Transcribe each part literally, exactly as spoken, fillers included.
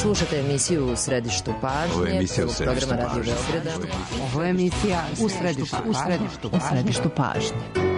Slušate emisiju U središtu pažnje, prvog programa Radio Beograda. Ovo je emisija U središtu, u središtu, u središtu pažnje.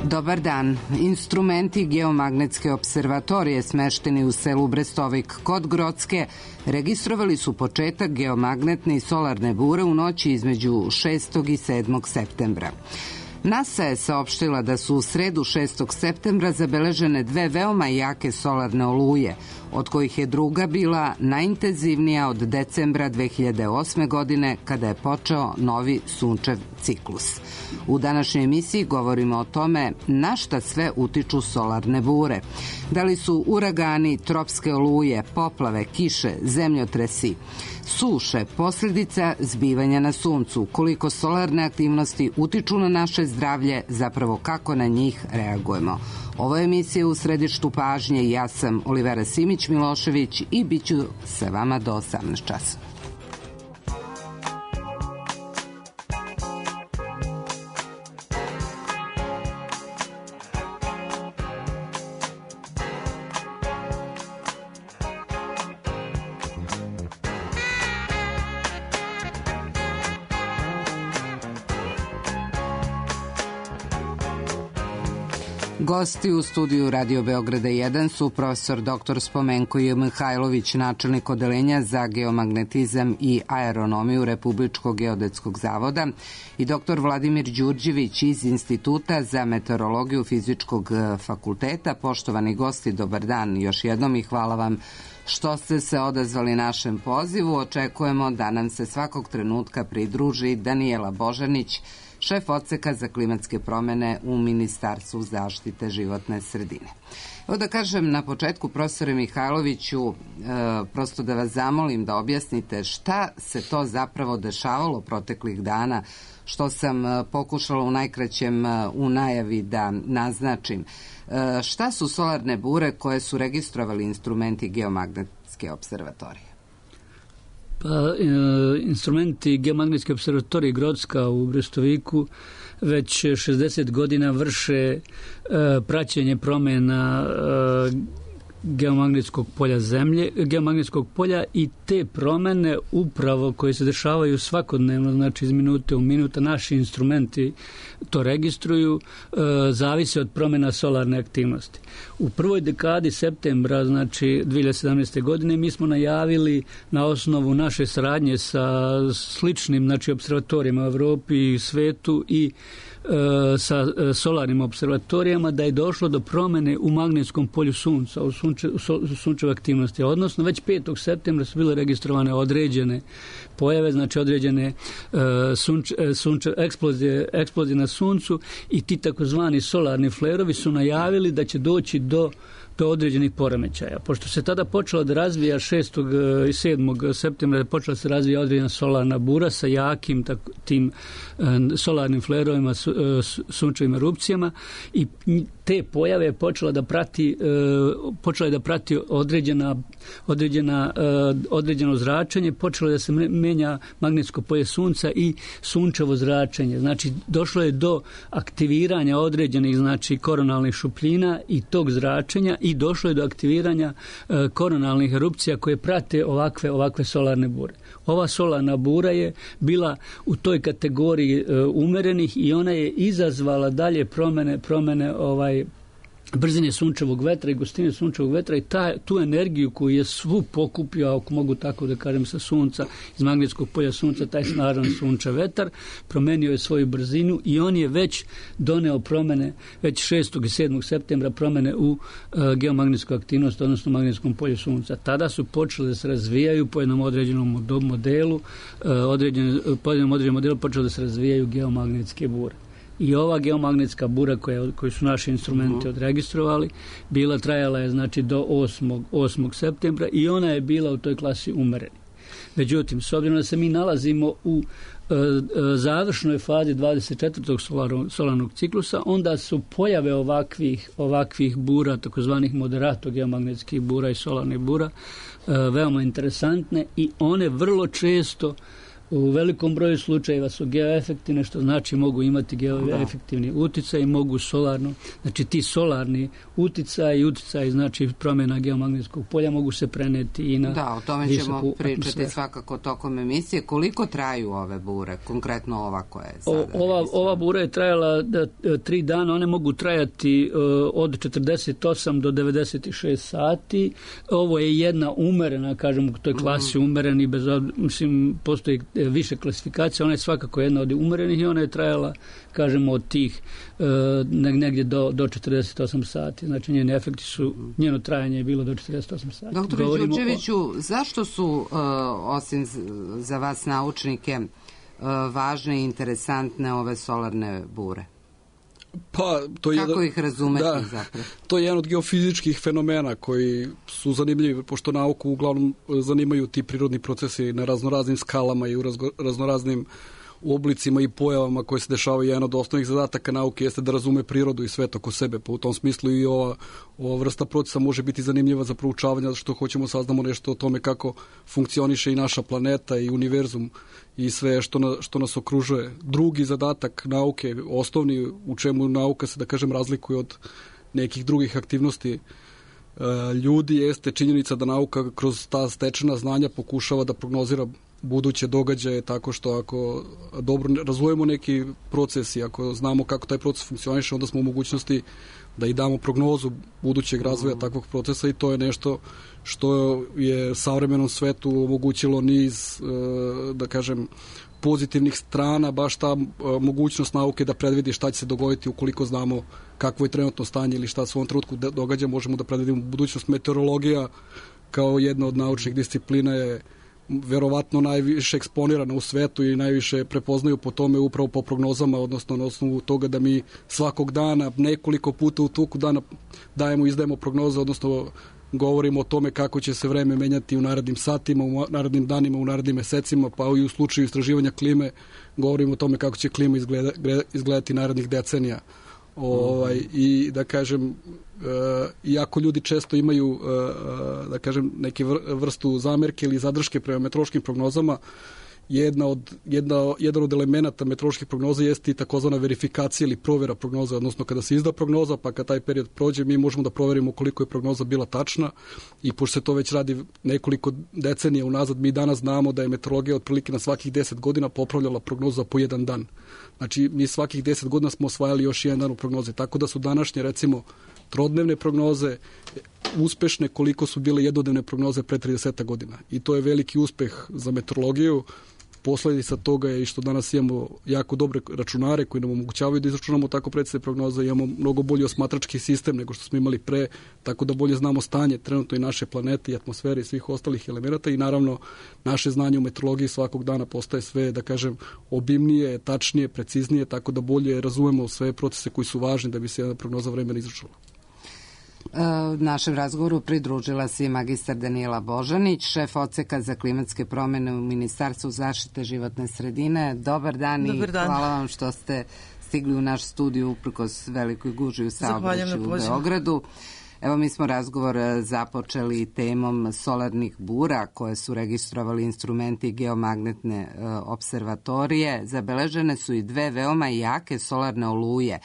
Dobar dan. Instrumenti geomagnetske observatorije smešteni u selu Brestovik kod Grocke registrovali su početak geomagnetne i solarne bure u noći između šestog i sedmog septembra. NASA je saopštila da su u sredu šestog septembra zabeležene dve veoma jake solarne oluje, od kojih je druga bila najintenzivnija od decembra dve hiljade osme. godine, kada je počeo novi sunčev ciklus. U današnjoj emisiji govorimo o tome na šta sve utiču solarne bure. Da li su uragani, tropske oluje, poplave, kiše, zemljotresi, suše, posljedica zbivanja na suncu, koliko solarne aktivnosti utiču na naše zdravlje, zapravo kako na njih reagujemo. Ovo je emisija U središtu pažnje i ja sam Olivera Simić-Milošević i bit ću sa vama do osamnaest časova. Gosti u studiju Radio Beograda jedan su profesor doktor Spomenko J. Mihajlović, načelnik odeljenja za geomagnetizam i aeronomiju Republičkog geodetskog zavoda, i doktor Vladimir Đurđević iz Instituta za meteorologiju Fizičkog fakulteta. Poštovani gosti, dobar dan još jednom i hvala vam što ste se odazvali našem pozivu. Očekujemo da nam se svakog trenutka pridruži Danijela Božanić, šef odseka za klimatske promjene u Ministarstvu zaštite životne sredine. Evo da kažem na početku, profesore Mihajloviću, e, prosto da vas zamolim da objasnite šta se to zapravo dešavalo proteklih dana, što sam e, pokušala u najkraćem e, u najavi da naznačim. E, šta su solarne bure koje su registrovali instrumenti geomagnetske observatorije? Pa, e, instrumenti geomagnetske observatorije Grocka u Brestoviku već šezdeset godina vrše e, praćenje promjena e, geomagnetskog polja zemlje, geomagnetskog polja, i te promjene upravo koje se dešavaju svakodnevno, znači iz minute u minuta, naši instrumenti to registruju, e, zavise od promjena solarne aktivnosti. U prvoj dekadi septembra, znači dve hiljade sedamnaeste. godine, mi smo najavili na osnovu naše saradnje sa sličnim, znači, observatorijama u Evropi i svetu i sa solarnim observatorijama da je došlo do promjene u magnetskom polju sunca, u, sunče, u sunčeve aktivnosti. Odnosno, već petog septembra su bile registrovane određene pojave, znači određene uh, sunč, sunče, eksplozije, eksplozije na suncu, i ti takozvani solarni flerovi su najavili da će doći do do određenih poremećaja. Pošto se tada počela da razvija šestog i sedmog septembra počela se razvija određena solarna bura sa jakim tako, tim uh, solarnim flerovima, su, uh, sunčevim erupcijama, i te pojave je počela da prati uh, počela je da prati određena određena uh, određeno zračenje, počelo je da se menja magnetsko polje sunca i sunčevo zračenje. Znači došlo je do aktiviranja određenih, znači, koronalnih šupljina i tog zračenja, i došlo je do aktiviranja uh, koronalnih erupcija koje prate ovakve ovakve solarne bure. Ova solarna bura je bila u toj kategoriji uh, umerenih i ona je izazvala dalje promjene promjene ovaj brzine sunčevog vetra i gustine sunčevog vetra i ta, tu energiju koju je svu pokupio, ako mogu tako da kažem, sa sunca, iz magnetskog polja sunca, taj snažan sunčev vetar, promenio je svoju brzinu i on je već doneo promene, već šestog i sedmog septembra promene u uh, geomagnetsku aktivnost, odnosno magnetskom polju sunca. Tada su počeli da se razvijaju po jednom određenom modelu, uh, određen, po jednom određenom modelu počeli da se razvijaju geomagnetske bure. I ova geomagnetska bura koja, koju su naši instrumenti uh-huh. odregistrovali, bila, trajala je znači do osmog septembra i ona je bila u toj klasi umereni. Međutim, s obzirom da se mi nalazimo u e, e, završnoj fazi dvadeset četvrtog solarnog, solarnog ciklusa, onda su pojave ovakvih, ovakvih bura, takozvanih moderato geomagnetskih bura i solarnih bura, e, veoma interesantne i one vrlo često u velikom broju slučajeva su geoefektivne, što znači mogu imati geoefektivni uticaj i mogu solarno, znači ti solarni uticaj i uticaj znači promjena geomagnetskog polja mogu se preneti i na Da, o tome ćemo pričati atmosferu. Svakako tokom emisije. Koliko traju ove bure, konkretno ova koja je sada? O, ova, ova bura je trajala da, tri dana, one mogu trajati uh, od četrdeset osam do devedeset šest sati. Ovo je jedna umerena, kažem, u toj klasi mm. umereni, bez, mislim, postoji više klasifikacija, ona je svakako jedna od umerenih i ona je trajala, kažemo, od tih e, negdje do, do četrdeset osam sati. Znači, njeni efekti su, njeno trajanje je bilo do četrdeset osam sati. Doktore Đurđeviću, o... zašto su, uh, osim za vas naučnike, uh, važne i interesantne ove solarne bure? Pa, to je Kako jedan, ih razumeti da, zapravo? To je jedan od geofizičkih fenomena koji su zanimljivi, pošto nauku uglavnom zanimaju ti prirodni procesi na raznoraznim skalama i u razgo, raznoraznim oblicima i pojavama koje se dešavaju. Jedan od osnovnih zadataka nauke jeste da razume prirodu i svet oko sebe, pa u tom smislu i ova, ova vrsta procesa može biti zanimljiva za proučavanje, zato što hoćemo saznamo nešto o tome kako funkcioniše i naša planeta i univerzum i sve što, na, što nas okružuje. Drugi zadatak nauke, osnovni, u čemu nauka se, da kažem, razlikuje od nekih drugih aktivnosti ljudi, jeste činjenica da nauka kroz ta stečena znanja pokušava da prognozira buduće događaje, tako što ako dobro razvojemo neki proces i ako znamo kako taj proces funkcioniše, onda smo u mogućnosti da i damo prognozu budućeg razvoja takvog procesa i to je nešto što je savremenom svetu omogućilo niz, da kažem, pozitivnih strana, baš ta mogućnost nauke da predvidi šta će se dogoditi ukoliko znamo kakvo je trenutno stanje ili šta se u ovom trenutku događa, možemo da predvidimo budućnost. Meteorologija kao jedna od naučnih disciplina je verovatno najviše eksponirana u svetu i najviše prepoznaju po tome upravo po prognozama, odnosno na osnovu toga da mi svakog dana, nekoliko puta u toku dana dajemo, izdajemo prognoze, odnosno govorimo o tome kako će se vreme menjati u narednim satima, u narednim danima, u narednim mesecima, pa i u slučaju istraživanja klime govorimo o tome kako će klima izgleda, izgledati narednih decenija. Ovaj, mm-hmm. I da kažem, uh, iako ljudi često imaju uh, da kažem neke vrstu zamerke ili zadrške prema meteorološkim prognozama, jedna od, jedna, jedan od elemenata meteoroloških prognoza jeste i takozvana verifikacija ili provjera prognoza, odnosno kada se izda prognoza, pa kad taj period prođe, mi možemo da proverimo koliko je prognoza bila tačna i pošto se to već radi nekoliko decenija unazad, mi danas znamo da je meteorologija otprilike na svakih deset godina popravljala prognoza po jedan dan. Znači, mi svakih deset godina smo osvajali još jedan dan u prognozi, tako da su današnje, recimo, trodnevne prognoze uspešne koliko su bile jednodnevne prognoze pre trideset godina. I to je veliki uspeh za meteorologiju. Posledica toga je i što danas imamo jako dobre računare koji nam omogućavaju da izračunamo tako precizne prognoze, imamo mnogo bolji osmatrački sistem nego što smo imali pre, tako da bolje znamo stanje trenutno i naše planete i atmosfere i svih ostalih elemenata i naravno naše znanje u meteorologiji svakog dana postaje sve, da kažem, obimnije, tačnije, preciznije, tako da bolje razumemo sve procese koji su važni da bi se jedna prognoza vremena izračunala. Našem razgovoru pridružila se i magistar Danijela Božanić, šef odseka za klimatske promjene u Ministarstvu zaštite životne sredine. Dobar dan i hvala vam što ste stigli u naš studiju uprkos velikoj gužvi u saobraćaju u Beogradu. Evo, mi smo razgovor započeli temom solarnih bura koje su registrovali instrumenti geomagnetne e, observatorije. Zabeležene su i dve veoma jake solarne oluje.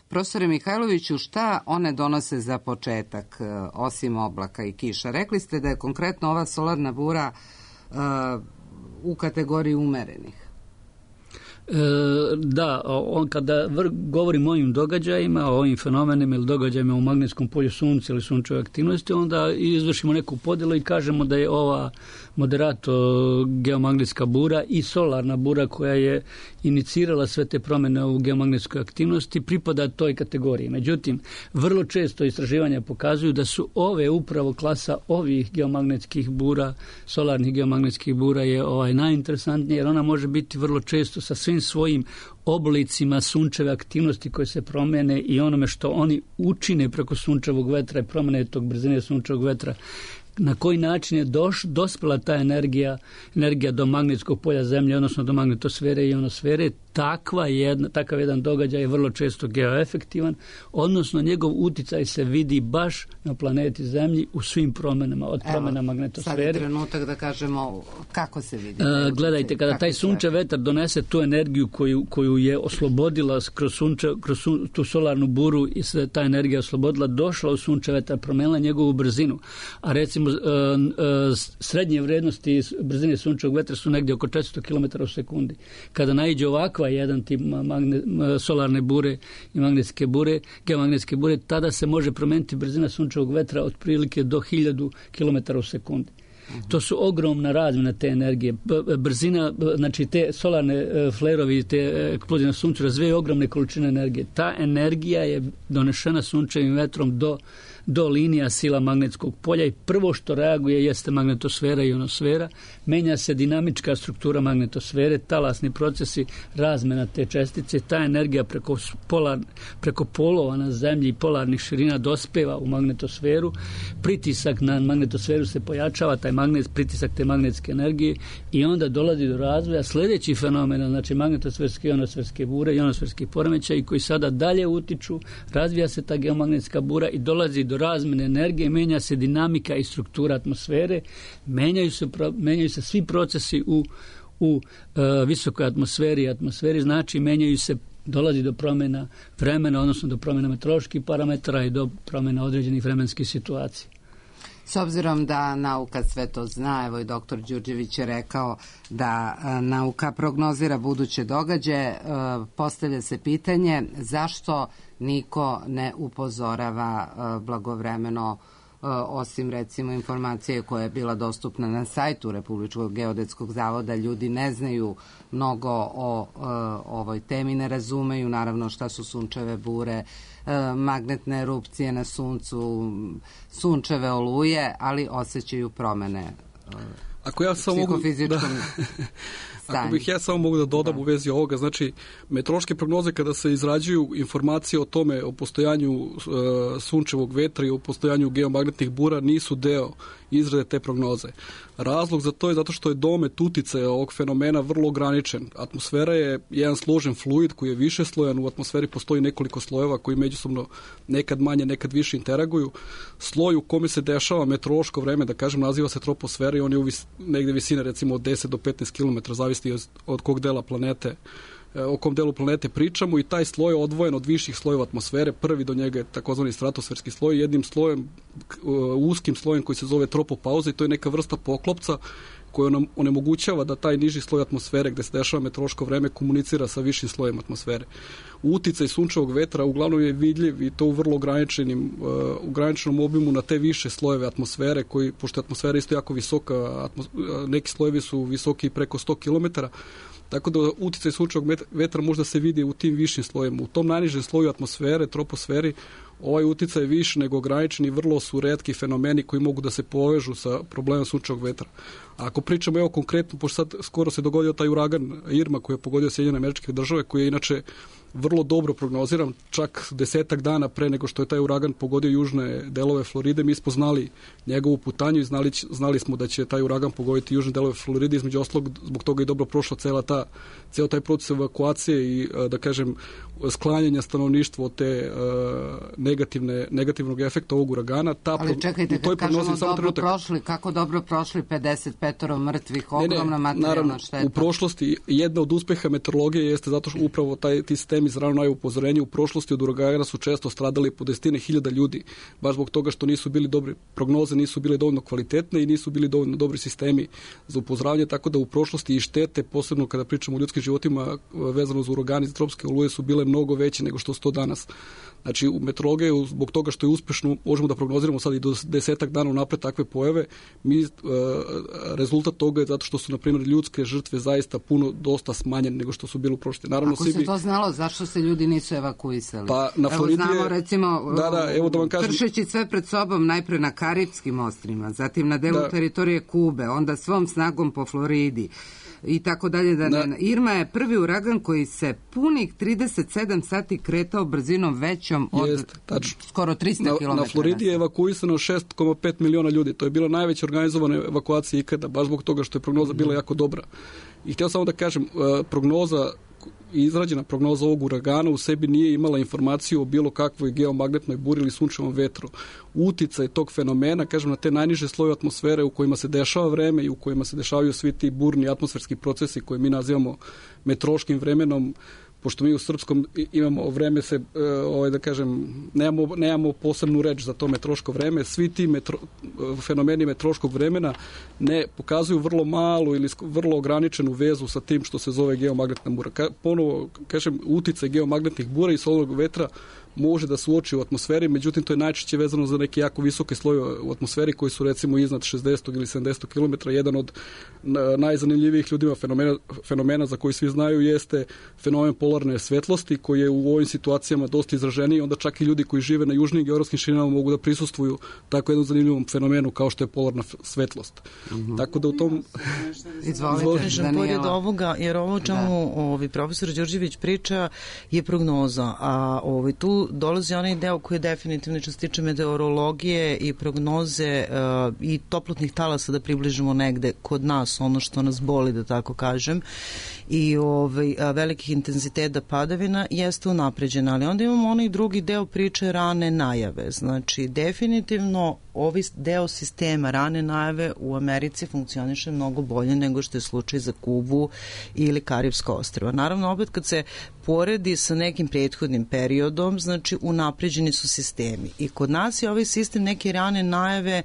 Profesore Mihajloviću, šta one donose za početak, osim oblaka i kiša? Rekli ste da je konkretno ova solarna bura uh, u kategoriji umerenih. Da, on kada govorim o ovim događajima, o ovim fenomenima ili događajima u magnetskom polju sunca ili sunčeve aktivnosti, onda izvršimo neku podjelu i kažemo da je ova moderato geomagnetska bura i solarna bura koja je inicirala sve te promjene u geomagnetskoj aktivnosti pripada toj kategoriji. Međutim, vrlo često istraživanja pokazuju da su ove upravo klasa ovih geomagnetskih bura, solarnih geomagnetskih bura je ovaj najinteresantnija jer ona može biti vrlo često sa svim svojim oblicima sunčeve aktivnosti koje se promene i onome što oni učine preko sunčevog vetra i promene tog brzine sunčevog vetra, na koji način je doš, dospela ta energija, energija do magnetskog polja Zemlje, odnosno do magnetosfere i ionosfere, takva jedna, takav jedan događaj je vrlo često geoefektivan, odnosno njegov uticaj se vidi baš na planeti Zemlji u svim promjenama, od promjena magnetosfere. Sad je trenutak da kažemo kako se vidi. A, gledajte, kada taj sunčev vetar donese tu energiju koju, koju je oslobodila kroz, sunče, kroz sun, tu solarnu buru i se ta energija oslobodila, došla u sunčev vetar, promenila njegovu brzinu, a recimo a, a, srednje vrednosti brzine sunčevog vetra su negdje oko četiristo kilometara u sekundi. Kada naiđe ovakva jedan tip magne, solarne bure i magnetske bure, geomagnetske bure, tada se može promijeniti brzina sunčevog vetra otprilike do hiljadu kilometara u sekundi. Uh-huh. To su ogromna razmjena te energije. Brzina, znači te solarne flerovi, te eksplozije na suncu razvijaju ogromne količine energije. Ta energija je donešena sunčevim vetrom do do linija sila magnetskog polja i prvo što reaguje jeste magnetosfera i ionosfera, menja se dinamička struktura magnetosfere, talasni procesi, razmena te čestice, ta energija preko, polar, preko polova na Zemlji i polarnih širina dospeva u magnetosferu, pritisak na magnetosferu se pojačava, taj magnet, pritisak te magnetske energije i onda dolazi do razvoja sljedeći fenomena, znači magnetosferske i ionosferske bure, ionosferski poremećaj koji sada dalje utiču, razvija se ta geomagnetska bura i dolazi do razmjene energije, menja se dinamika i struktura atmosfere, menjaju se, menjaju se svi procesi u, u uh, visokoj atmosferi i atmosferi, znači menjaju se, dolazi do promjena vremena, odnosno do promjena meteoroloških parametara i do promjena određenih vremenskih situacija. S obzirom da nauka sve to zna, evo i doktor Đurđević je rekao da a, nauka prognozira buduće događaje, a, postavlja se pitanje zašto niko ne upozorava a, blagovremeno, a, osim recimo informacije koja je bila dostupna na sajtu Republičkog geodetskog zavoda, ljudi ne znaju mnogo o a, ovoj temi, ne razumeju naravno šta su sunčeve bure, magnetne erupcije na suncu, sunčeve oluje, ali osjećaju promene Ako ja samo mogu, da, ako bih ja samo mogu da dodam da. u vezi ovoga, znači meteorološke prognoze kada se izrađuju informacije o tome, o postojanju uh, sunčevog vetra i o postojanju geomagnetnih bura nisu deo izrade te prognoze. Razlog za to je zato što je domet uticaja ovog fenomena vrlo ograničen. Atmosfera je jedan složen fluid koji je više slojan, u atmosferi postoji nekoliko slojeva koji međusobno nekad manje, nekad više interaguju. Sloj u kome se dešava meteorološko vreme, da kažem, naziva se troposfera i on je u vis, negde visine recimo od deset do petnaest kilometara, zavisi od, od kog dela planete, o kom delu planete pričamo, i taj sloj je odvojen od viših slojeva atmosfere. Prvi do njega je takozvani stratosferski sloj, jednim slojem, uskim slojem koji se zove tropopauza, i to je neka vrsta poklopca koja nam onemogućava da taj niži sloj atmosfere gde se dešava meteorološko vreme komunicira sa višim slojem atmosfere. Uticaj sunčevog vetra uglavnom je vidljiv i to u vrlo ograničenim, uh, ograničenom obimu na te više slojeve atmosfere, koji, pošto je atmosfera isto jako visoka, atmos, neki slojevi su visoki preko sto kilometara, tako da uticaj sunčevog vetra možda se vidi u tim višim slojima. U tom najnižem sloju atmosfere, troposferi, ovaj uticaj je više nego ograničen i vrlo su retki fenomeni koji mogu da se povežu sa problemom sunčevog vetra. A ako pričamo evo konkretno, pošto sad skoro se dogodio taj uragan Irma koji je pogodio Sjedinjene Američke Države, koji je inače vrlo dobro prognoziran, čak desetak dana pre nego što je taj uragan pogodio južne delove Floride, mi smo znali njegovu putanju i znali, znali smo da će taj uragan pogoditi južne delove Floride, između ostalog zbog toga je dobro prošla cela ta, ceo taj proces evakuacije i, da kažem, sklanjanja stanovništva od te uh, negativne, negativnog efekta ovog uragana. Ta Ali čekajte, kad kažemo dobro prošli, kako dobro prošli pedeset petoro mrtvih, ogromna materijalna šteta. U prošlosti jedna od uspeha meteorologije jeste zato što upravo taj, ti sistemi za rano najavu upozorenja u prošlosti od uragana su često stradali po desetine hiljada ljudi, baš zbog toga što nisu bili dobre prognoze, nisu bile dovoljno kvalitetne i nisu bili dovoljno dobri sistemi za upozoravanje, tako da u prošlosti i štete, posebno kada pričamo o ljudskim životima vezano za uragani i za tropske oluje, su bile mnogo veće nego što su to danas. Znači, u meteorologiji, zbog toga što je uspešno, možemo da prognoziramo sad i do desetak dana unapred takve pojave, mi, e, rezultat toga je zato što su, na primjer, ljudske žrtve zaista puno, dosta smanjene nego što su bile u prošlosti. Naravno, ako se bi... to znalo, zašto se ljudi nisu evakuisali? Pa, na Floridi evo znamo, recimo, da, da, evo da vam kažem... kršeći sve pred sobom, najpre na Karibskim ostrvima, zatim na delu da. teritorije Kube, onda svom snagom po Floridi, i tako dalje. Da ne. Irma je prvi uragan koji se punih trideset sedam sati kretao brzinom većom od Jest, skoro trista kilometara. Na Floridi je evakuisano šest zarez pet miliona ljudi. To je bila najveća organizovana evakuacija ikada, baš zbog toga što je prognoza bila jako dobra. I htio samo da kažem, prognoza izrađena prognoza ovog uragana u sebi nije imala informaciju o bilo kakvoj geomagnetnoj buri ili sunčevom vetru. Uticaj tog fenomena, kažem, na te najniže sloje atmosfere u kojima se dešava vreme i u kojima se dešavaju svi ti burni atmosferski procesi koje mi nazivamo meteorološkim vremenom, pošto mi u srpskom imamo vreme se, ovaj, da kažem, nemamo, nemamo posebnu reč za to meteorološko vreme, svi ti metro, fenomeni meteorološkog vremena ne pokazuju vrlo malu ili vrlo ograničenu vezu sa tim što se zove geomagnetna bura. Ka, ponovo, kažem, uticaj geomagnetnih bura i solarnog vetra može da se uoči u atmosferi, međutim to je najčešće vezano za neke jako visoke slojeve u atmosferi koji su recimo iznad šezdeset ili sedamdeset kilometara. Jedan od najzanimljivijih ljudima fenomena, fenomena za koji svi znaju jeste fenomen polarne svetlosti koji je u ovim situacijama dosta izraženiji, onda čak i ljudi koji žive na južnim geografskim širinama mogu da prisustvuju tako jednom zanimljivom fenomenu kao što je polarna svetlost. Mm-hmm. Tako da u tom... Izvolite, Pored ovoga, jer ovo čemu ovi profesor Đorđević priča je prognoza, a ovi tu dolazi onaj deo koji je definitivno što se tiče meteorologije i prognoze uh, i toplotnih talasa, da približimo negde kod nas ono što nas boli, da tako kažem, i ovaj, velikih intenziteta padavina jeste unapređena, ali onda imamo onaj drugi deo priče rane najave. Znači, definitivno ovaj deo sistema rane najave u Americi funkcioniše mnogo bolje nego što je slučaj za Kubu ili Karibska ostrva. Naravno, opet kad se poredi sa nekim prethodnim periodom, znači unapređeni su sistemi. I kod nas je ovaj sistem neke rane najave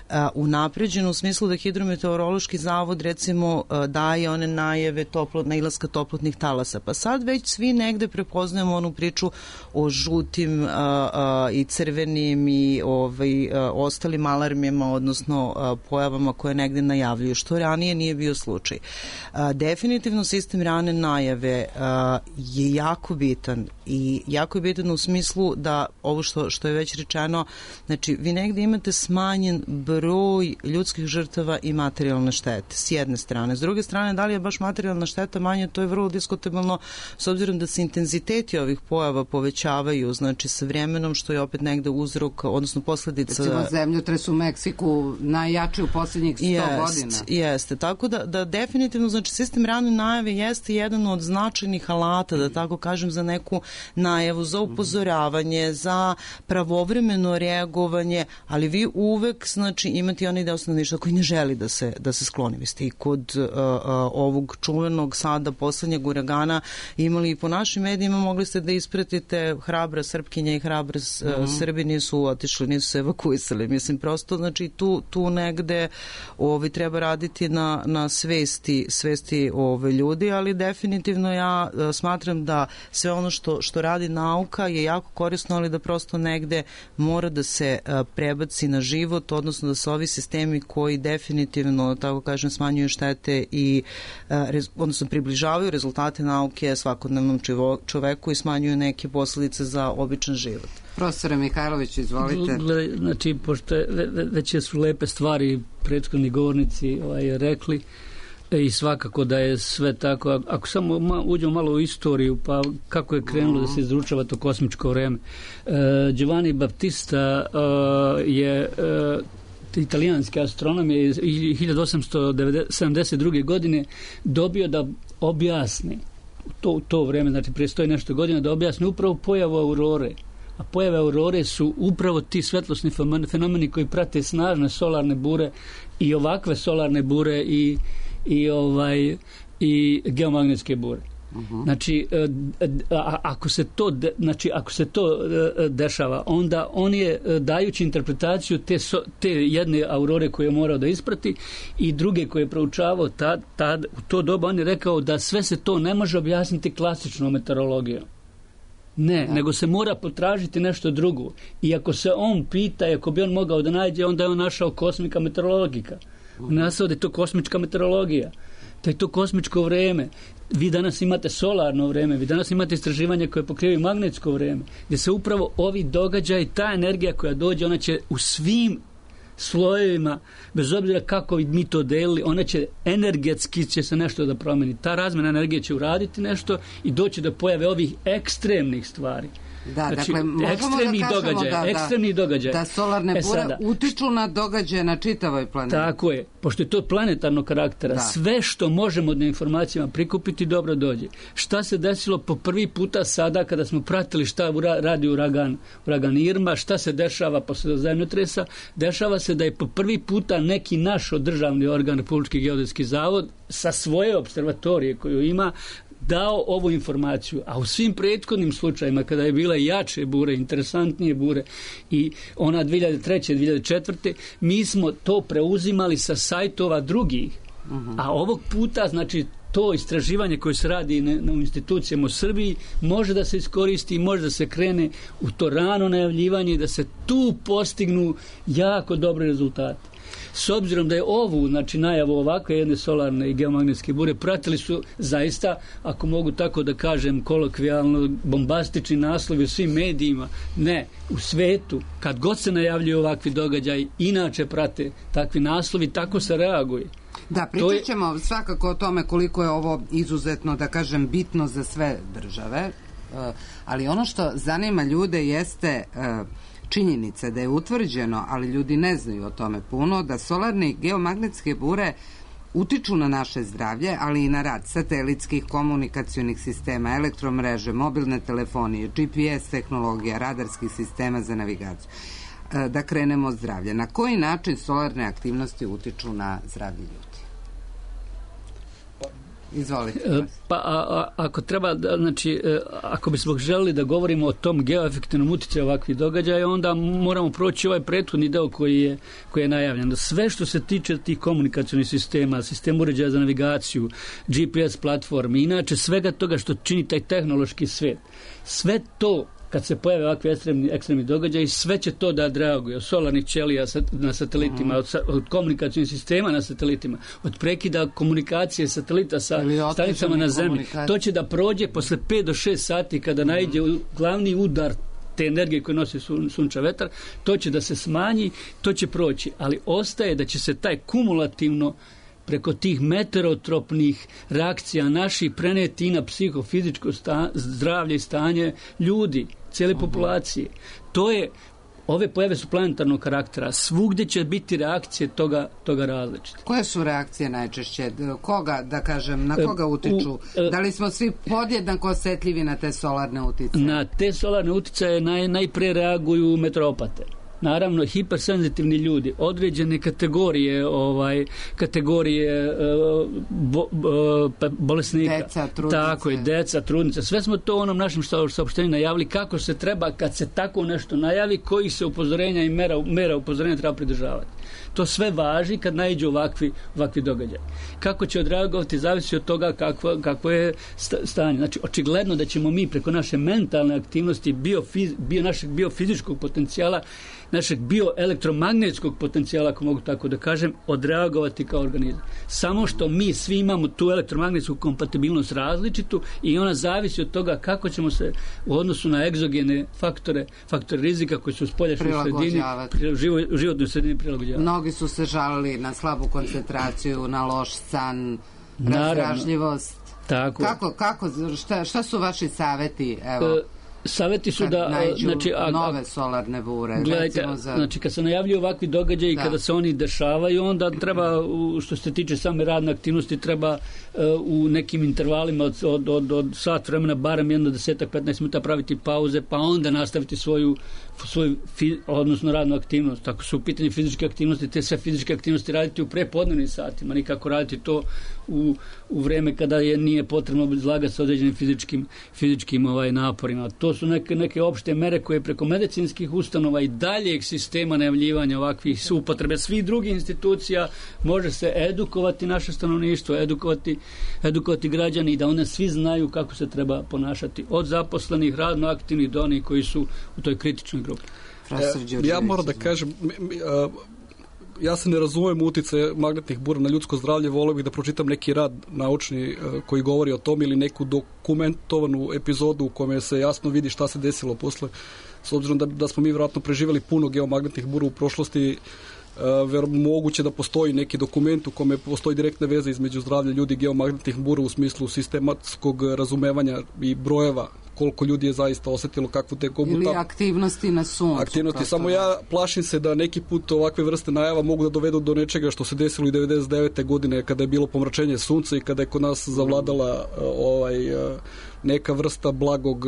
uh, unapređen u smislu da Hidrometeorološki zavod recimo uh, daje one najave toplo, nailaska toplotnih talasa. Pa sad već svi negde prepoznajemo onu priču o žutim uh, uh, i crvenim i ovaj, uh, ostalim alarmima, odnosno uh, pojavama koje negde najavljuju, što ranije nije bio slučaj. Uh, definitivno sistem rane najave uh, je jako bitan i jako je bitan u smislu da ovo što, što je već rečeno, znači vi negde imate smanjen broj ljudskih žrtava i materijalne štete s jedne strane. S druge strane, da li je baš materijalna šteta manje, to je vrlo diskutabilno s obzirom da se intenziteti ovih pojava povećavaju, znači sa vremenom, što je opet negde uzrok, odnosno posledica... Recimo zemljotres u Meksiku najjači u posljednjih sto jest, godina. Jeste, tako da, da definitivno, znači sistem rane najave jeste jedan od značajnih alata, da tako kažem, za neku najavu, za upozoravanje, za pravovremeno reagovanje, ali vi uvek, znači, imate onaj deo stanovništva koji ne želi da se, da se skloni. Vi ste i kod uh, uh, ovog čuvenog sada poslednjeg uragana imali i po našim medijima, mogli ste da ispratite hrabra Srpkinja i hrabra uh, mm-hmm. Srbi nisu otišli, nisu se evakuisali. Mislim, prosto, znači, tu, tu negde ovi, treba raditi na, na svesti, svesti ove ljudi, ali definitivno ja uh, smatram da sve ono što, što radi nauka je jako korisno, ali da prosto negde mora da se uh, prebaci na život, odnosno da se ovi sistemi koji definitivno, tako kažem, smanjuju štete i uh, rez, odnosno približavaju rezultate nauke svakodnevnom čivo, čoveku i smanjuju neke posledice za običan život. Profesore Mihajlović, izvolite. Znači, pošto već su lepe stvari prethodni govornici ovaj, rekli, i svakako da je sve tako. Ako samo ma, uđemo malo u istoriju, pa kako je krenulo da se izručava to kosmičko vreme. E, Giovanni Battista e, je e, italijanski astronom je iz hiljadu osamsto sedamdeset druge. godine dobio da objasni to, to vreme, znači prije sto i nešto godina, da objasni upravo pojavu aurore. a pojave aurore su upravo ti svetlosni fenomeni koji prate snažne solarne bure i ovakve solarne bure i, i, ovaj, i geomagnetske bure. Uh-huh. Znači, a, ako se to de, znači ako se to dešava, onda on je dajući interpretaciju te, so, te jedne aurore koje je morao da isprati i druge koje je proučavao tad, tad, u to doba on je rekao da sve se to ne može objasniti klasičnom meteorologijom. Ne, da. Nego se mora potražiti nešto drugo. I ako se on pita, ako bi on mogao da nađe, onda je on našao kosmika meteorologika. Uh-huh. Nasao da je to kosmička meteorologija. Da je to kosmičko vreme. Vi danas imate solarno vreme, vi danas imate istraživanje koje pokrivaju magnetsko vreme, gdje se upravo ovi događaji, ta energija koja dođe, ona će u svim slojevima, bez obzira kako mi to delili, ona će energetski će se nešto da promeni. Ta razmjena energije će uraditi nešto i doći do pojave ovih ekstremnih stvari. Da, znači, dakle, možemo da kažemo događaj, da, ekstremni događaj. Da solarne bure e sada, utiču na događaje na čitavoj planeti. Tako je, pošto je to planetarnog karaktera, da. Sve što možemo od informacijama prikupiti dobro dođe. Šta se desilo po prvi puta sada kada smo pratili šta radi uragan, uragan Irma, šta se dešava posle zemljotresa, dešava se da je po prvi puta neki naš državni organ, Republički geodetski zavod, sa svoje observatorije koju ima, dao ovu informaciju, a u svim prethodnim slučajima kada je bila jače bure, interesantnije bure i ona dvije hiljade treće. dvije hiljade četvrte. mi smo to preuzimali sa sajtova drugih, uh-huh. a ovog puta znači to istraživanje koje se radi na, na institucijama u Srbiji može da se iskoristi i može da se krene u to rano najavljivanje i da se tu postignu jako dobri rezultati. S obzirom da je ovu, znači najavu ovakve jedne solarne i geomagnetske bure, pratili su zaista, ako mogu tako da kažem kolokvijalno, bombastični naslovi u svim medijima. Ne, u svetu, kad god se najavljuju ovakvi događaj, inače prate takvi naslovi, tako se reaguje. Da, pričat ćemo je... svakako o tome koliko je ovo izuzetno, da kažem, bitno za sve države, ali ono što zanima ljude jeste činjenica da je utvrđeno, ali ljudi ne znaju o tome puno, da solarne i geomagnetske bure utiču na naše zdravlje, ali i na rad satelitskih komunikacionih sistema, elektromreže, mobilne telefonije, G P S tehnologija, radarskih sistema za navigaciju. Da krenemo od zdravlja. Na koji način solarne aktivnosti utiču na zdravlje ljudi? Izvolite. Pa a, a, ako treba, znači, ako bismo želeli da govorimo o tom geoefektivnom uticaju ovakvih događaja, onda moramo proći ovaj prethodni deo koji je, koji je najavljen. Sve što se tiče tih komunikacionih sistema, sistem uređaja za navigaciju, G P S platformi, inače svega toga što čini taj tehnološki svet, sve to kad se pojave ovakvi ekstremni, ekstremni događaji, sve će to da reaguje. Od solarnih ćelija na satelitima, od, od komunikacijnih sistema na satelitima, od prekida komunikacije satelita sa stanicama na zemlji. To će da prođe posle pet do šest sati kada naiđe glavni udar te energije koje nosi sun, sunča vetar, to će da se smanji, to će proći. Ali ostaje da će se taj kumulativno preko tih meteorotropnih reakcija naših preneti i na psihofizičko sta, zdravlje i stanje ljudi, cijele populacije. To je, ove pojave su planetarnog karaktera. Svugdje će biti reakcije toga, toga različite. Koje su reakcije najčešće? Koga, da kažem, na koga utiču? Da li smo svi podjednako osjetljivi na te solarne uticaje? Na te solarne uticaje naj, najpre reaguju meteoropate. Naravno, hipersenzitivni ljudi, određene kategorije, ovaj, kategorije bo, bo, bolesnika. Deca, trudnice. Tako je, deca, trudnice. Sve smo to u onom našem saopštenju najavili kako se treba, kad se tako nešto najavi, koji se upozorenja i mera, mera upozorenja treba pridržavati. To sve važi kad naiđu ovakvi, ovakvi događaj. Kako će odreagovati zavisi od toga kakvo, kakvo je stanje. Znači, očigledno da ćemo mi preko naše mentalne aktivnosti, bio, bio, našeg biofizičkog potencijala, našeg bioelektromagnetskog potencijala, ako mogu tako da kažem, odreagovati kao organizam. Samo što mi svi imamo tu elektromagnetsku kompatibilnost različitu i ona zavisi od toga kako ćemo se u odnosu na egzogene faktore, faktore rizika koji su u spoljašnjoj sredini, u životnoj sredini prilagođavati. Mnogi su se žalili na slabu koncentraciju, na loš san, razdražljivost. Tako. Kako, kako, šta, šta su vaši saveti? Evo. Saveti su da... Znači, a, nove solarne bure. Gledajte, za... znači kad se najavljuju ovakvi događaji, da. Kada se oni dešavaju, onda treba, što se tiče same radne aktivnosti, treba uh, u nekim intervalima od, od, od, od sat vremena, barem jedno desetak, petnaest minuta praviti pauze, pa onda nastaviti svoju, svoju fi, odnosno radnu aktivnost. Ako su u pitanju fizičke aktivnosti, te sve fizičke aktivnosti raditi u prepodnevnim satima, nikako raditi to u, u vreme kada je nije potrebno izlagati sa određenim fizičkim, fizičkim ovaj, naporima. To su neke, neke opšte mere koje preko medicinskih ustanova i daljeg sistema najavljivanja ovakvih upotrebe svih drugih institucija može se edukovati naše stanovništvo, edukovati, edukovati građani i da one svi znaju kako se treba ponašati od zaposlenih, radno aktivnih do onih koji su u toj kritičnoj grupi. E, ja moram da kažem, ja se ne razumem uticaje magnetnih bura na ljudsko zdravlje, voleo bih da pročitam neki rad naučni koji govori o tom ili neku dokumentovanu epizodu u kome se jasno vidi šta se desilo posle. S obzirom da, da smo mi vjerojatno preživjeli puno geomagnetnih bura u prošlosti, ver, moguće da postoji neki dokument u kome postoji direktne veze između zdravlja ljudi i geomagnetnih bura u smislu sistematskog razumevanja i brojeva koliko ljudi je zaista osetilo kakvu teku. Ili aktivnosti na suncu. Aktivnosti. Samo ja plašim se da neki put ovakve vrste najava mogu da dovedu do nečega što se desilo i devedeset devete godine kada je bilo pomračenje sunca i kada je kod nas zavladala ovaj, neka vrsta blagog,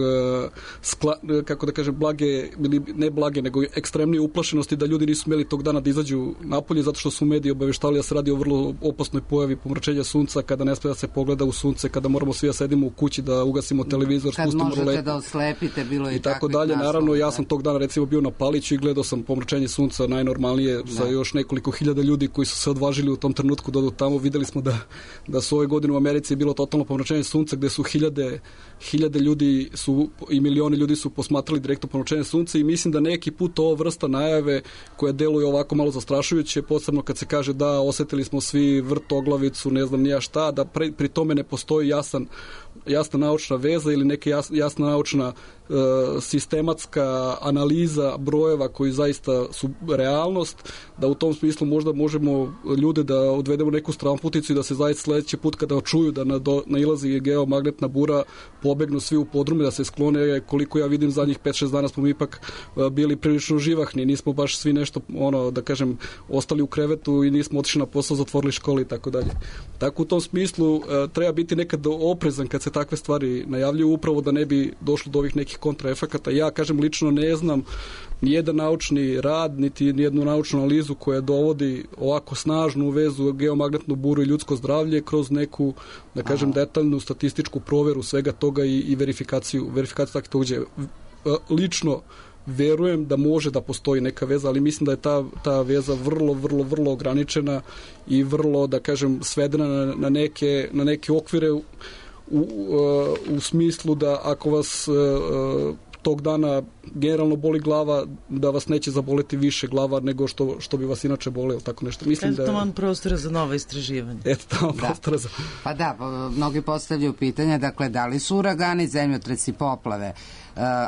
skla, kako da kažem, blage, ili ne blage, nego ekstremnije uplašenosti da ljudi nisu smeli tog dana da izađu napolje zato što su mediji obaveštali da se radi o vrlo opasnoj pojavi pomračenja sunca, kada ne sme da se pogleda u sunce, kada moramo svi da sedimo u kući, da ugasimo televizor, kad spustimo možete ruletu, da oslepite, bilo je i tako dalje. Naravno, ja sam tog dana recimo bio na Paliću i gledao sam pomračenje sunca najnormalnije sa još nekoliko hiljada ljudi koji su se odvažili u tom trenutku da odu tamo. Videli smo da, da su ove godine u Americi bilo totalno pomračenje sunca gde su hiljade hiljade ljudi su i milioni ljudi su posmatrali direktno pomračenje sunca i mislim da neki put ova vrsta najave koja deluje ovako malo zastrašujuće, posebno kad se kaže da osetili smo svi vrtoglavicu, ne znam nija šta, da pri, pri tome ne postoji jasan jasna naučna veza ili neka jas, jasna naučna e, sistematska analiza brojeva koji zaista su realnost, da u tom smislu možda možemo ljude da odvedemo neku stranputicu i da se zaista sledeći put kada čuju da nailazi geomagnetna bura pobegnu svi u podrume, da se sklone. Koliko ja vidim zadnjih pet šest dana smo mi ipak bili prilično živahni, nismo baš svi nešto, ono, da kažem, ostali u krevetu i nismo otišli na posao, zatvorili škole i tako dalje. Tako u tom smislu e, treba biti nekad oprezan kad se takve stvari najavljuju, upravo da ne bi došlo do ovih nekih kontraefekata. Ja, kažem, lično ne znam nijedan naučni rad, niti nijednu naučnu analizu koja dovodi ovako snažnu vezu geomagnetnu buru i ljudsko zdravlje kroz neku, da kažem, Aha. detaljnu statističku proveru svega toga i, i verifikaciju, verifikaciju takvih događaja. Lično verujem da može da postoji neka veza, ali mislim da je ta, ta veza vrlo, vrlo, vrlo ograničena i vrlo, da kažem, svedena na, na, neke, na neke okvire u, u, u smislu da ako vas tog dana generalno boli glava, da vas neće zaboleti više glava nego što, što bi vas inače bolelo, tako nešto. Mislim eto tamo prostora za nova istraživanja. Eto tamo da. prostora za... Pa da, mnogi postavljaju pitanja, dakle, da li su uragani, zemljotresi, poplave,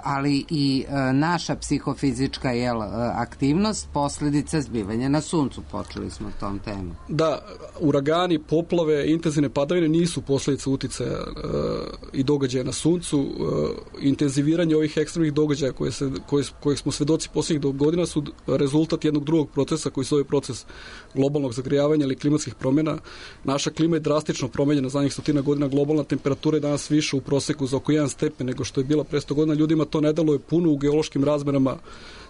ali i naša psihofizička jel, aktivnost posljedica zbivanja na suncu. Počeli smo tom temu. Da, uragani, poplave, intenzivne padavine nisu posljedica uticaja uh, i događaja na suncu. Uh, intenziviranje ovih ekstremnih događaja koje se, koje, kojih smo svedoci posljednjih godina su rezultat jednog drugog procesa koji se zove proces globalnog zagrejavanja ili klimatskih promjena. Naša klima je drastično promenjena zadnjih stotina godina. Globalna temperatura je danas više u proseku za oko jedan stepen nego što je bila pre sto godina. Ljudima to ne deluje puno u geološkim razmerama.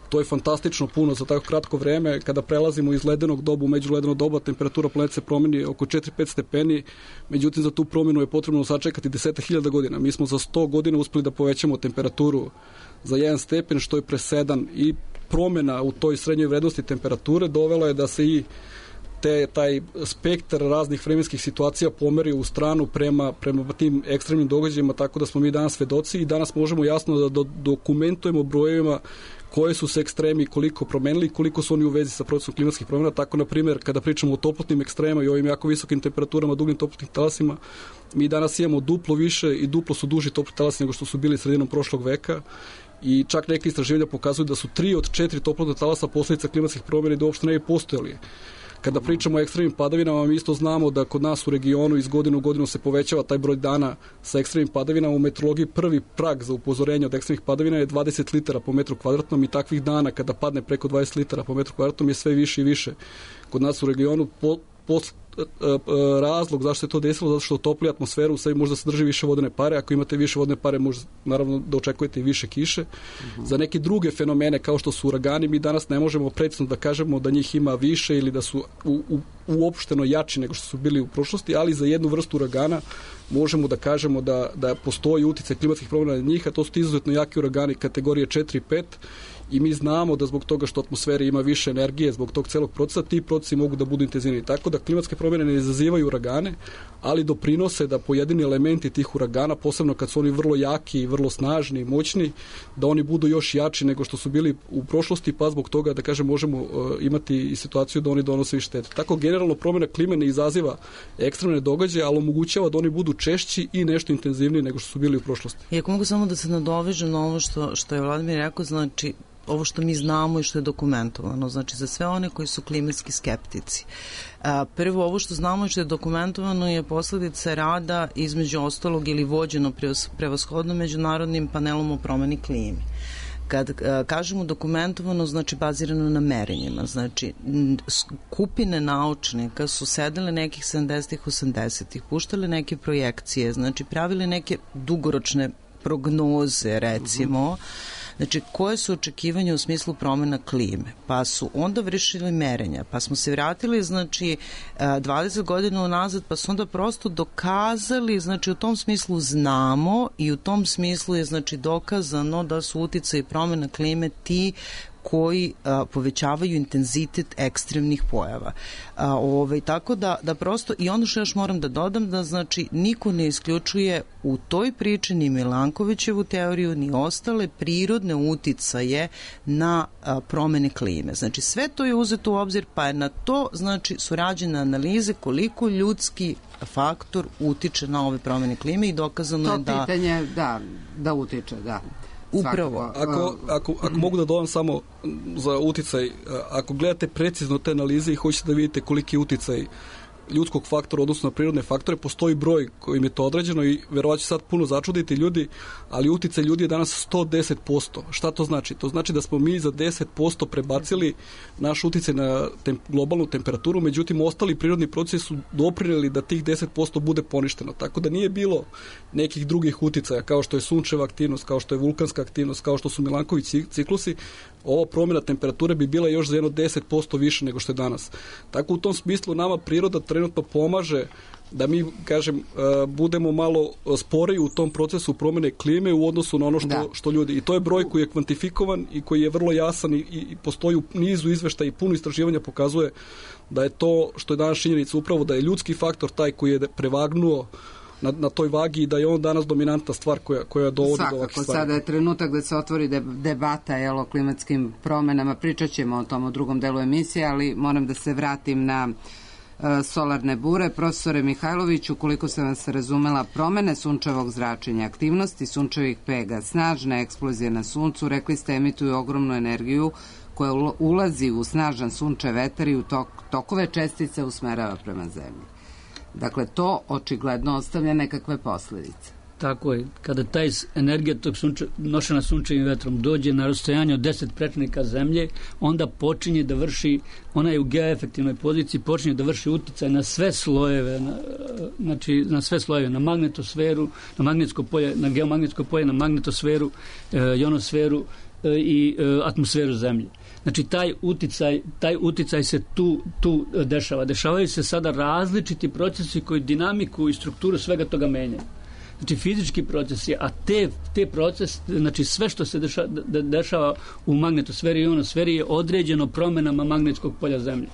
To je fantastično puno za tako kratko vreme. Kada prelazimo iz ledenog doba u međuledeno doba, temperatura planete se promeni oko četiri do pet stepeni. Međutim, za tu promjenu je potrebno sačekati deset hiljada godina. Mi smo za sto godina uspeli da povećamo temperaturu za jedan stepen, što je presedan, i promjena u toj srednjoj vrednosti temperature dovela je da se i te, taj spektar raznih vremenskih situacija pomeri u stranu prema, prema tim ekstremnim događajima, tako da smo mi danas svedoci i danas možemo jasno da do, dokumentujemo brojevima koje su se ekstremi koliko promenili i koliko su oni u vezi sa procesom klimatskih promjena. Tako, na primjer, kada pričamo o toplotnim ekstrema i ovim jako visokim temperaturama, dugim toplotnim talasima, mi danas imamo duplo više i duplo su duži toplotni talasi nego što su bili sredinom prošlog veka. I čak neke istraživanja pokazuju da su tri od četiri toplotna talasa posljedica klimatskih promjena i da uopšte ne bi postojali Kada pričamo o ekstremnim padavinama, mi isto znamo da kod nas u regionu iz godinu u godinu se povećava taj broj dana sa ekstremnim padavinama. U meteorologiji prvi prag za upozorenje od ekstremnih padavina je dvadeset litara po metru kvadratnom i takvih dana kada padne preko dvadeset litara po metru kvadratnom je sve više i više. Kod nas u regionu po, po, razlog zašto se to desilo, zato što topli atmosferu u sebi možda sadrži više vodene pare, ako imate više vodene pare možda naravno da očekujete i više kiše. Uh-huh. Za neke druge fenomene kao što su uragani mi danas ne možemo precizno da kažemo da njih ima više ili da su u, u, uopšteno jači nego što su bili u prošlosti, ali za jednu vrstu uragana možemo da kažemo da, da postoji uticaj klimatskih promjena na njih, a to su ti izuzetno jaki uragani kategorije četiri i pet i mi znamo da zbog toga što atmosfera ima više energije, zbog tog celog procesa, ti procesi mogu da budu intenzivniji. Tako da klimatske promjene ne izazivaju uragane, ali doprinose da pojedini elementi tih uragana, posebno kad su oni vrlo jaki i vrlo snažni i moćni, da oni budu još jači nego što su bili u prošlosti, pa zbog toga, da kažem, možemo uh, imati i situaciju da oni donose i štete. Tako generalno promjena klime ne izaziva ekstremne događaje, ali omogućava da oni budu češći i nešto intenzivniji nego što su bili u prošlosti. I ako mogu samo da se nadovežem na ovo što, što je Vladimir rekao, znači ovo što mi znamo i što je dokumentovano, znači za sve one koji su klimatski skeptici. Prvo, ovo što znamo i što je dokumentovano je posledica rada između ostalog ili vođeno prevashodno međunarodnim panelom o promeni klime. Kad kažemo dokumentovano, znači bazirano na merenjima, znači skupine naučnika su sedele nekih sedamdesetih, osamdesetih, puštale neke projekcije, znači pravile neke dugoročne prognoze, recimo, uh-huh. Znači, koje su očekivanja u smislu promjena klime? Pa su onda vršili merenja, pa smo se vratili, znači, dvadeset godina unazad, pa su onda prosto dokazali, znači, u tom smislu znamo i u tom smislu je, znači, dokazano da su uticaji promjena klime ti koji a, povećavaju intenzitet ekstremnih pojava. A, ovaj, tako da, da prosto, i ono što još moram da dodam, da znači niko ne isključuje u toj priči ni Milankovićevu teoriju, ni ostale prirodne uticaje na a, promene klime. Znači sve to je uzeto u obzir, pa je na to znači su rađene analize koliko ljudski faktor utiče na ove promene klime i dokazano to je da... To pitanje, da, da utiče, da. Upravo. Ako, ako, ako mogu da dodam samo za uticaj, ako gledate precizno te analize i hoćete da vidite koliki je uticaj ljudskog faktora odnosno na prirodne faktore, postoji broj kojim je to određeno i verovatno će sad puno začuditi ljudi, ali uticaj ljudi je danas sto deset posto. Šta to znači? To znači da smo mi za deset posto prebacili naš uticaj na tem, globalnu temperaturu, međutim ostali prirodni procesi su doprineli da tih deset posto bude poništeno. Tako da nije bilo nekih drugih uticaja kao što je sunčeva aktivnost, kao što je vulkanska aktivnost, kao što su Milanković ciklusi. Ova promjena temperature bi bila još za jedno deset posto više nego što je danas. Tako u tom smislu nama priroda trenutno pomaže da mi, kažem, budemo malo sporiji u tom procesu promjene klime u odnosu na ono što, što ljudi. I to je broj koji je kvantifikovan i koji je vrlo jasan i, i postoji u nizu izveštaja i puno istraživanja pokazuje da je to što je danas činjenica upravo da je ljudski faktor taj koji je prevagnuo Na, na toj vagi i da je on danas dominantna stvar koja, koja dovodi Svakako, do ovakve stvari. Sada je trenutak da se otvori debata jel, o klimatskim promenama. Pričat ćemo o tom u drugom delu emisije, ali moram da se vratim na uh, solarne bure. Profesore Mihajlović, ukoliko sam vas razumela, promene sunčevog zračenja, aktivnosti sunčevih pega, snažne eksplozije na suncu, rekli ste, emituju ogromnu energiju koja ulazi u snažan sunčev vetar i u tok, tokove čestice usmerava prema zemlji. Dakle, to očigledno ostavlja nekakve posljedice. Tako je. Kada taj energija tog sunče, nošena sunčevim vetrom dođe na rastojanje od deset prečnika zemlje, onda počinje da vrši, ona je u geoefektivnoj poziciji, počinje da vrši uticaj na sve slojeve, na, znači na sve slojeve, na magnetosferu, na magnetsko polje, na geomagnetsko polje, na magnetosferu, e, ionosferu e, i e, atmosferu zemlje. Znači, taj uticaj, taj uticaj se tu, tu dešava. Dešavaju se sada različiti procesi koji dinamiku i strukturu svega toga menjaju. Znači, fizički procesi, a te, te procesi, znači sve što se dešava, dešava u magnetosferi i ionosferi je određeno promjenama magnetskog polja Zemlje.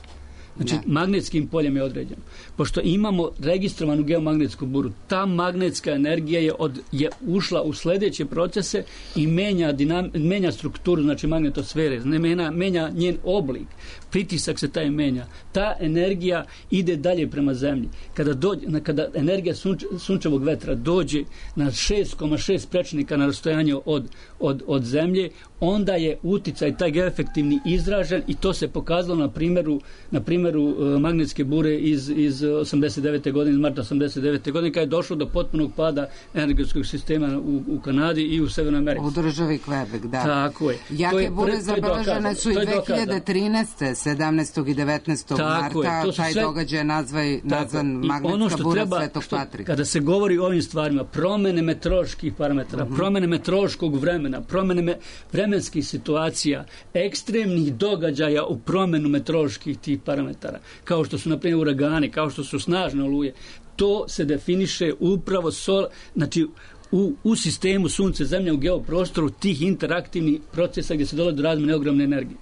Znači, ne. Magnetskim poljem je određeno. Pošto imamo registrovanu geomagnetsku buru, ta magnetska energija je, od, je ušla u sljedeće procese i menja, dinam, menja strukturu, znači magnetosfere, menja, menja njen oblik. Pritisak se taj menja. Ta energija ide dalje prema zemlji. Kada, dođe, kada energija sunč, sunčevog vetra dođe na šest zarez šest prečnika na rastojanje od, od, od zemlje, onda je uticaj taj geoefektivni izražen i to se pokazalo na primjeru, na primjeru uh, magnetske bure iz, iz osamdeset devete godine, iz marta osamdeset devete godine, kada je došlo do potpunog pada energetskog sistema u, u Kanadi i u Severnoj Americi. U državi Quebec, da. Tako je. Jake je, bure zabeležene su i dve hiljade trinaeste. sedamnaestog i devetnaestog Tako marta. Je, taj sve... događaj nazvaj, nazvan magnetska ono bura treba, Svetog što, Patrika. Kada se govori o ovim stvarima, promene meteoroloških parametara, uh-huh. promene meteorološkog vremena, promene me, vremenskih situacija, ekstremnih događaja u promenu meteoroloških tih parametara, kao što su, na primjer, uragani, kao što su snažne oluje, to se definiše upravo sol, znači, u, u sistemu sunce, zemlje, u geoprostoru tih interaktivnih procesa gdje se dolazi do razmjene ogromne energije.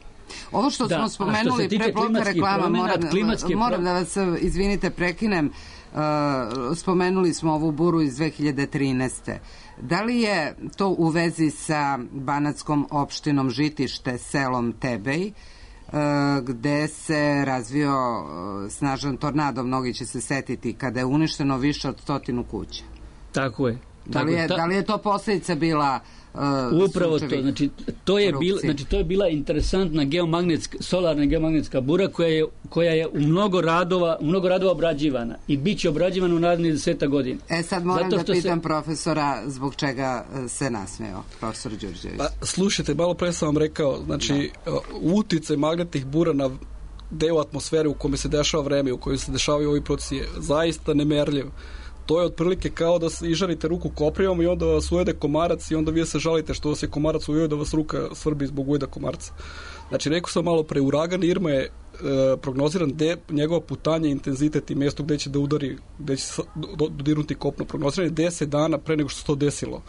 Ovo što da, smo spomenuli pre bloka reklama, promena, moram, moram da vas, izvinite, prekinem, uh, spomenuli smo ovu buru iz dve hiljade trinaeste. Da li je to u vezi sa banatskom opštinom Žitište, selom Tebej, gde se razvio snažan tornado, mnogi će se setiti, kada je uništeno više od stotinu kuća? Tako je. Da li je, ta... da li je to posljedica bila uh, upravo to, znači to je bila, znači to je bila interesantna geomagnetska, solarna geomagnetska bura koja je, koja je u mnogo radova, u mnogo radova obrađivana i bit će obrađivana u narednih deseta godina. E sad moram da pitam se... profesora zbog čega se nasmeo, profesor Đurđević. Pa, slušajte, malo pre sam vam rekao, znači da. Uticaj magnetnih bura na deo atmosfere u kome se dešava vreme, u kojoj se dešavaju ovi procesi je zaista nemerljiv. To je otprilike kao da ižarite ruku koprivom i onda vas ujede komarac i onda vi se žalite što vas je komarac ujeo da vas ruka svrbi zbog ujeda komarca. Znači, rekao sam malo pre, uragan Irma je e, prognoziran de, njegova putanja, intenzitet i mjesto gde će da udari, gde će dodirnuti kopno. Prognoziran je deset dana pre nego što se to desilo.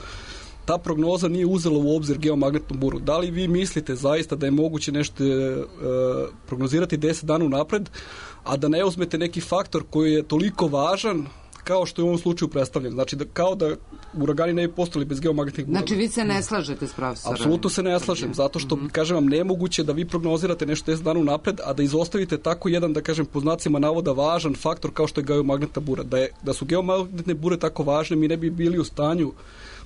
Ta prognoza nije uzela u obzir geomagnetnu buru. Da li vi mislite zaista da je moguće nešto e, prognozirati deset dana unapred, a da ne uzmete neki faktor koji je toliko važan kao što je u ovom slučaju predstavljen. Znači, da, kao da uragani ne bi postali bez geomagnetnih bura. Znači, vi se ne slažete s profesorom? Apsolutno se ne slažem, zato što, mm-hmm. kažem vam, nemoguće da vi prognozirate nešto deset dana unapred, a da izostavite tako jedan, da kažem, po znacima navoda važan faktor kao što je geomagnetna bura. Da, je, da su geomagnetne bure tako važne, mi ne bi bili u stanju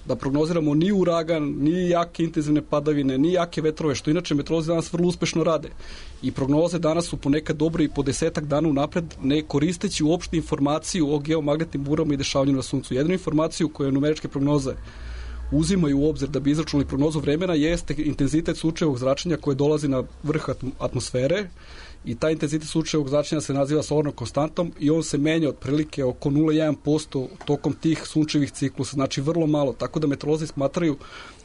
da prognoziramo ni uragan, ni jake intenzivne padavine, ni jake vetrove, što inače meteorolozi danas vrlo uspešno rade. I prognoze danas su ponekad dobre i po desetak dana unapred, ne koristeći uopšte informaciju o geomagnetnim burama i dešavanju na suncu. Jednu informaciju koju numeričke prognoze uzimaju u obzir da bi izračunali prognozu vremena jeste intenzitet sunčevog zračenja koje dolazi na vrh atmosfere i taj intenzitet sunčevog zračenja se naziva solarnom konstantom i on se menja otprilike oko nula zarez jedan posto tokom tih sunčevih ciklusa, znači vrlo malo, tako da meteorolozi smatraju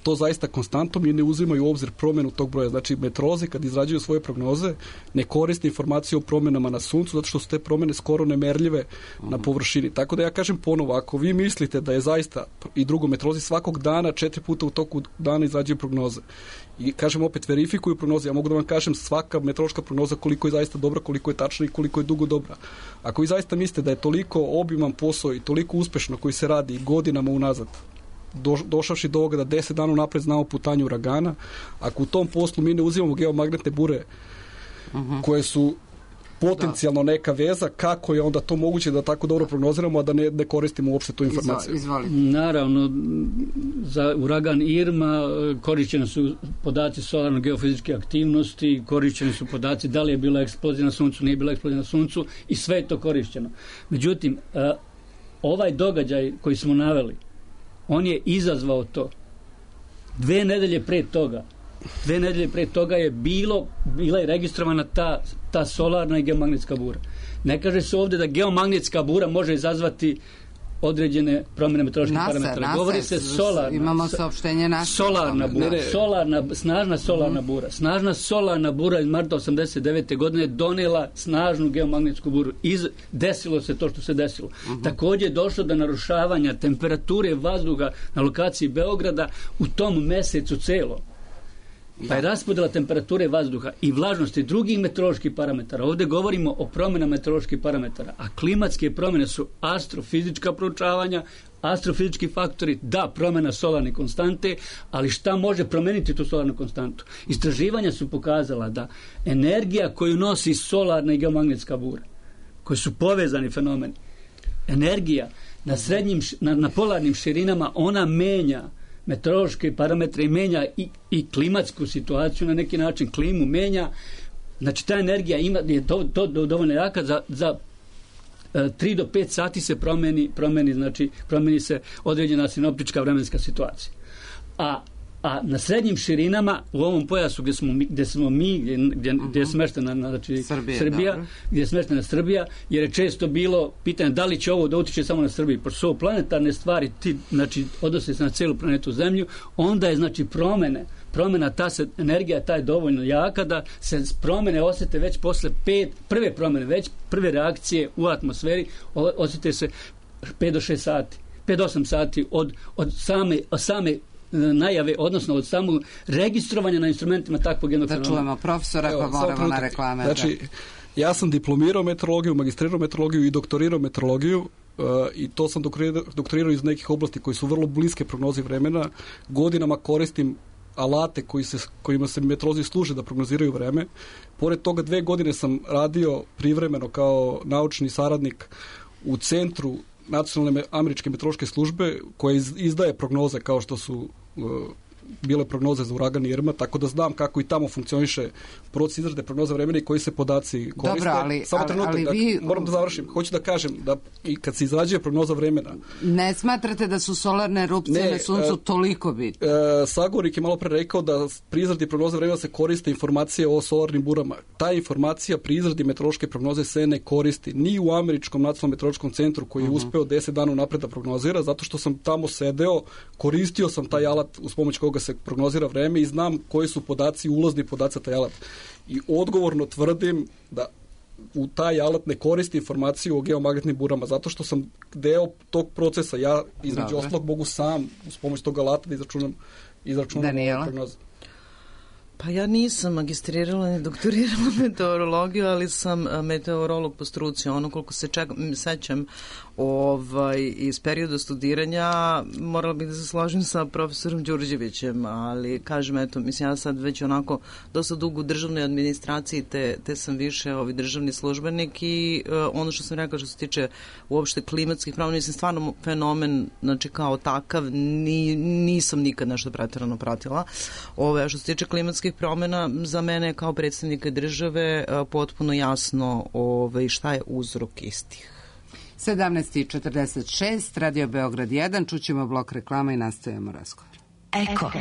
to zaista konstantom i ne uzimaju u obzir promjenu tog broja. Znači, meteorolozi kad izrađuju svoje prognoze ne koriste informacije o promjenama na suncu, zato što su te promjene skoro nemerljive uh-huh. na površini. Tako da ja kažem ponovo, ako vi mislite da je zaista, i drugo, meteorolozi svakog dana, četiri puta u toku dana izrađuju prognoze. I kažem opet, verifikuju prognoze. Ja mogu da vam kažem svaka meteorološka prognoza koliko je zaista dobra, koliko je tačna i koliko je dugo dobra. Ako vi zaista mislite da je toliko obiman posao i toliko uspešno koji se radi godinama unazad, Do, došavši do ovoga da deset dana napred znamo putanje uragana, ako u tom poslu mi ne uzimamo geomagnetne bure uh-huh. koje su potencijalno da. neka veza, kako je onda to moguće da tako dobro prognoziramo, a da ne, ne koristimo uopšte tu informaciju? Izvoli. Naravno, za uragan Irma korišćeni su podaci solarno-geofizičke aktivnosti, korišćeni su podaci da li je bila eksplozija na suncu, nije bila eksplozija na suncu i sve je to korišćeno. Međutim, ovaj događaj koji smo naveli, on je izazvao to. Dve nedelje pre toga, dve nedelje pre toga je bilo, bila je registrovana ta, ta solarna i geomagnetska bura. Ne kaže se ovdje da geomagnetska bura može izazvati određene promjene meteoroloških parametara. Nasa, Govori se solarna. Imamo saopštenje NASA. Solarna bura. Ne, solarna, snažna solarna mm. bura. Snažna solarna bura iz marta osamdeset devete godine donela snažnu geomagnetsku buru. Iz, desilo se to što se desilo. Mm-hmm. Također je došlo do narušavanja temperature vazduha na lokaciji Beograda u tom mesecu celo. Pa je raspodjela temperature vazduha i vlažnosti drugih meteoroloških parametara. Ovdje govorimo o promjenama meteoroloških parametara, a klimatske promjene su astrofizička proučavanja, astrofizički faktori, da, promjena solarne konstante, ali šta može promijeniti tu solarnu konstantu? Istraživanja su pokazala da energija koju nosi solarna i geomagnetska bura, koji su povezani fenomeni, energija na srednjim, na, na polarnim širinama, ona menja meteorološke parametre i menja i, i klimatsku situaciju na neki način, klimu menja. Znači ta energija ima, je to, to dovoljno jaka za, za tri do pet sati se promeni, promeni, znači promeni se određena sinoptička vremenska situacija. A A na srednjim širinama, u ovom pojasu gdje smo mi, gdje, smo mi, gdje, gdje, gdje je smeštena znači, Srbije, Srbija, gdje je smeštena Srbija, jer je često bilo pitanje da li će ovo da utiče samo na Srbiju. Pošto su ovo planetarne stvari, ti, znači, odnose se na cijelu planetu Zemlju, onda je, znači, promene, promena, ta se, energija ta je dovoljno jaka da se promene osjete već posle pet, prve promene, već prve reakcije u atmosferi osjete se pet do šest sati, pet do osam sati od, od same, od same najave, odnosno od samog registrovanja na instrumentima takvog jednog fenomena. Da čujemo profesora, pa moramo na reklame. Znači, ja sam diplomirao meteorologiju, magistrirao meteorologiju i doktorirao meteorologiju uh, i to sam doktorirao, doktorirao iz nekih oblasti koji su vrlo bliske prognozi vremena. Godinama koristim alate koji se, kojima se meteorolozi služe da prognoziraju vreme. Pored toga dve godine sam radio privremeno kao naučni saradnik u centru Nacionalne američke meteorološke službe koja izdaje prognoze kao što su uh, bile prognoze za uragan Irma, tako da znam kako i tamo funkcioniše proces izrade prognoza vremena i koji se podaci koriste. Dobro, ali, Samo ali, trenutak, ali da, vi... moram da završim. Hoću da kažem da i kad se izrađuje prognoza vremena... Ne smatrate da su solarne erupcije ne, na suncu uh, toliko bitne? Uh, Sagorik je malo pre rekao da pri izradi prognoza vremena se koriste informacije o solarnim burama. Ta informacija pri izradi meteorološke prognoze se ne koristi ni u Američkom nacionalnom meteorološkom centru koji je uh-huh. uspeo deset dana unapred da prognozira, zato što sam tamo sedeo, koristio sam taj alat uz pomoć koga se prognozira vreme i znam koji su podaci, ulazni podaci taj alat. I odgovorno tvrdim da u taj alat ne koristi informaciju o geomagnetnim burama, zato što sam deo tog procesa. Ja između ostalog mogu sam uz pomoć tog alata da izračunam, izračunam prognozu. Pa ja nisam magistrirala ni doktorirala meteorologiju, ali sam meteorolog po struci. Ono koliko se čak, sećam ovaj, iz perioda studiranja, morala bih da se složim sa profesorom Đurđevićem, ali kažem, eto, mislim, ja sad već onako dosta dugo u državnoj administraciji, te, te sam više ovaj, državni službenik i uh, ono što sam rekao što se tiče uopšte klimatskih promena, mislim, stvarno fenomen, znači kao takav, ni, nisam nikad nešto pretjerano pratila. Ove, što se tiče klimatskih promena, za mene kao predstavnika države potpuno jasno ove, šta je uzrok istih. sedamnaest i četrdeset šest, Radio Beograd jedan, čućemo blok reklama i nastavljamo razgovor. Eko.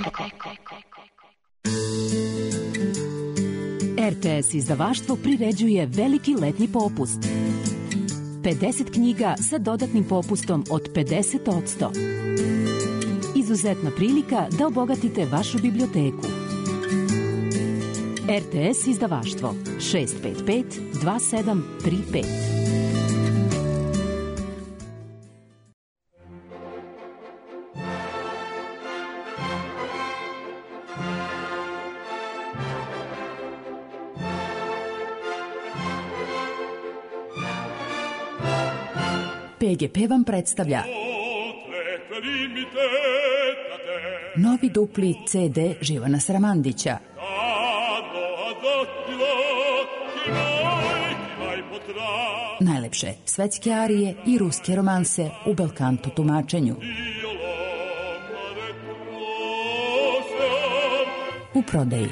R T S izdavaštvo priređuje veliki letnji popust. pedeset knjiga sa dodatnim popustom od pedeset posto. Izuzetna prilika da obogatite vašu biblioteku. R T S izdavaštvo šest pet pet dva sedam tri pet. P G P vam predstavlja novi dupli C D Živana Sramandića. Najlepše svetske arije i ruske romanse u belkanto tumačenju. U prodaji.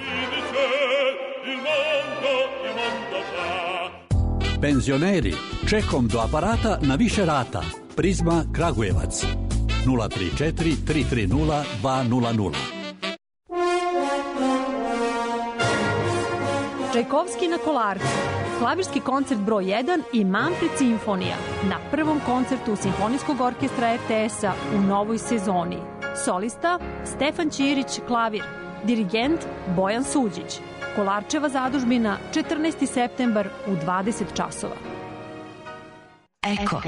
Penzioneri, čekom do aparata na više rata. Prizma Kragujevac. nula tri četiri tri tri nula dva nula nula. Čajkovski na Kolarcu. Klavirski koncert broj jedan i Manfred simfonija na prvom koncertu Simfonijskog orkestra R T S-a u novoj sezoni. Solista Stefan Ćirić klavir, dirigent Bojan Suđić. Kolarčeva zadužbina četrnaesti septembar u dvadeset časova. Eko.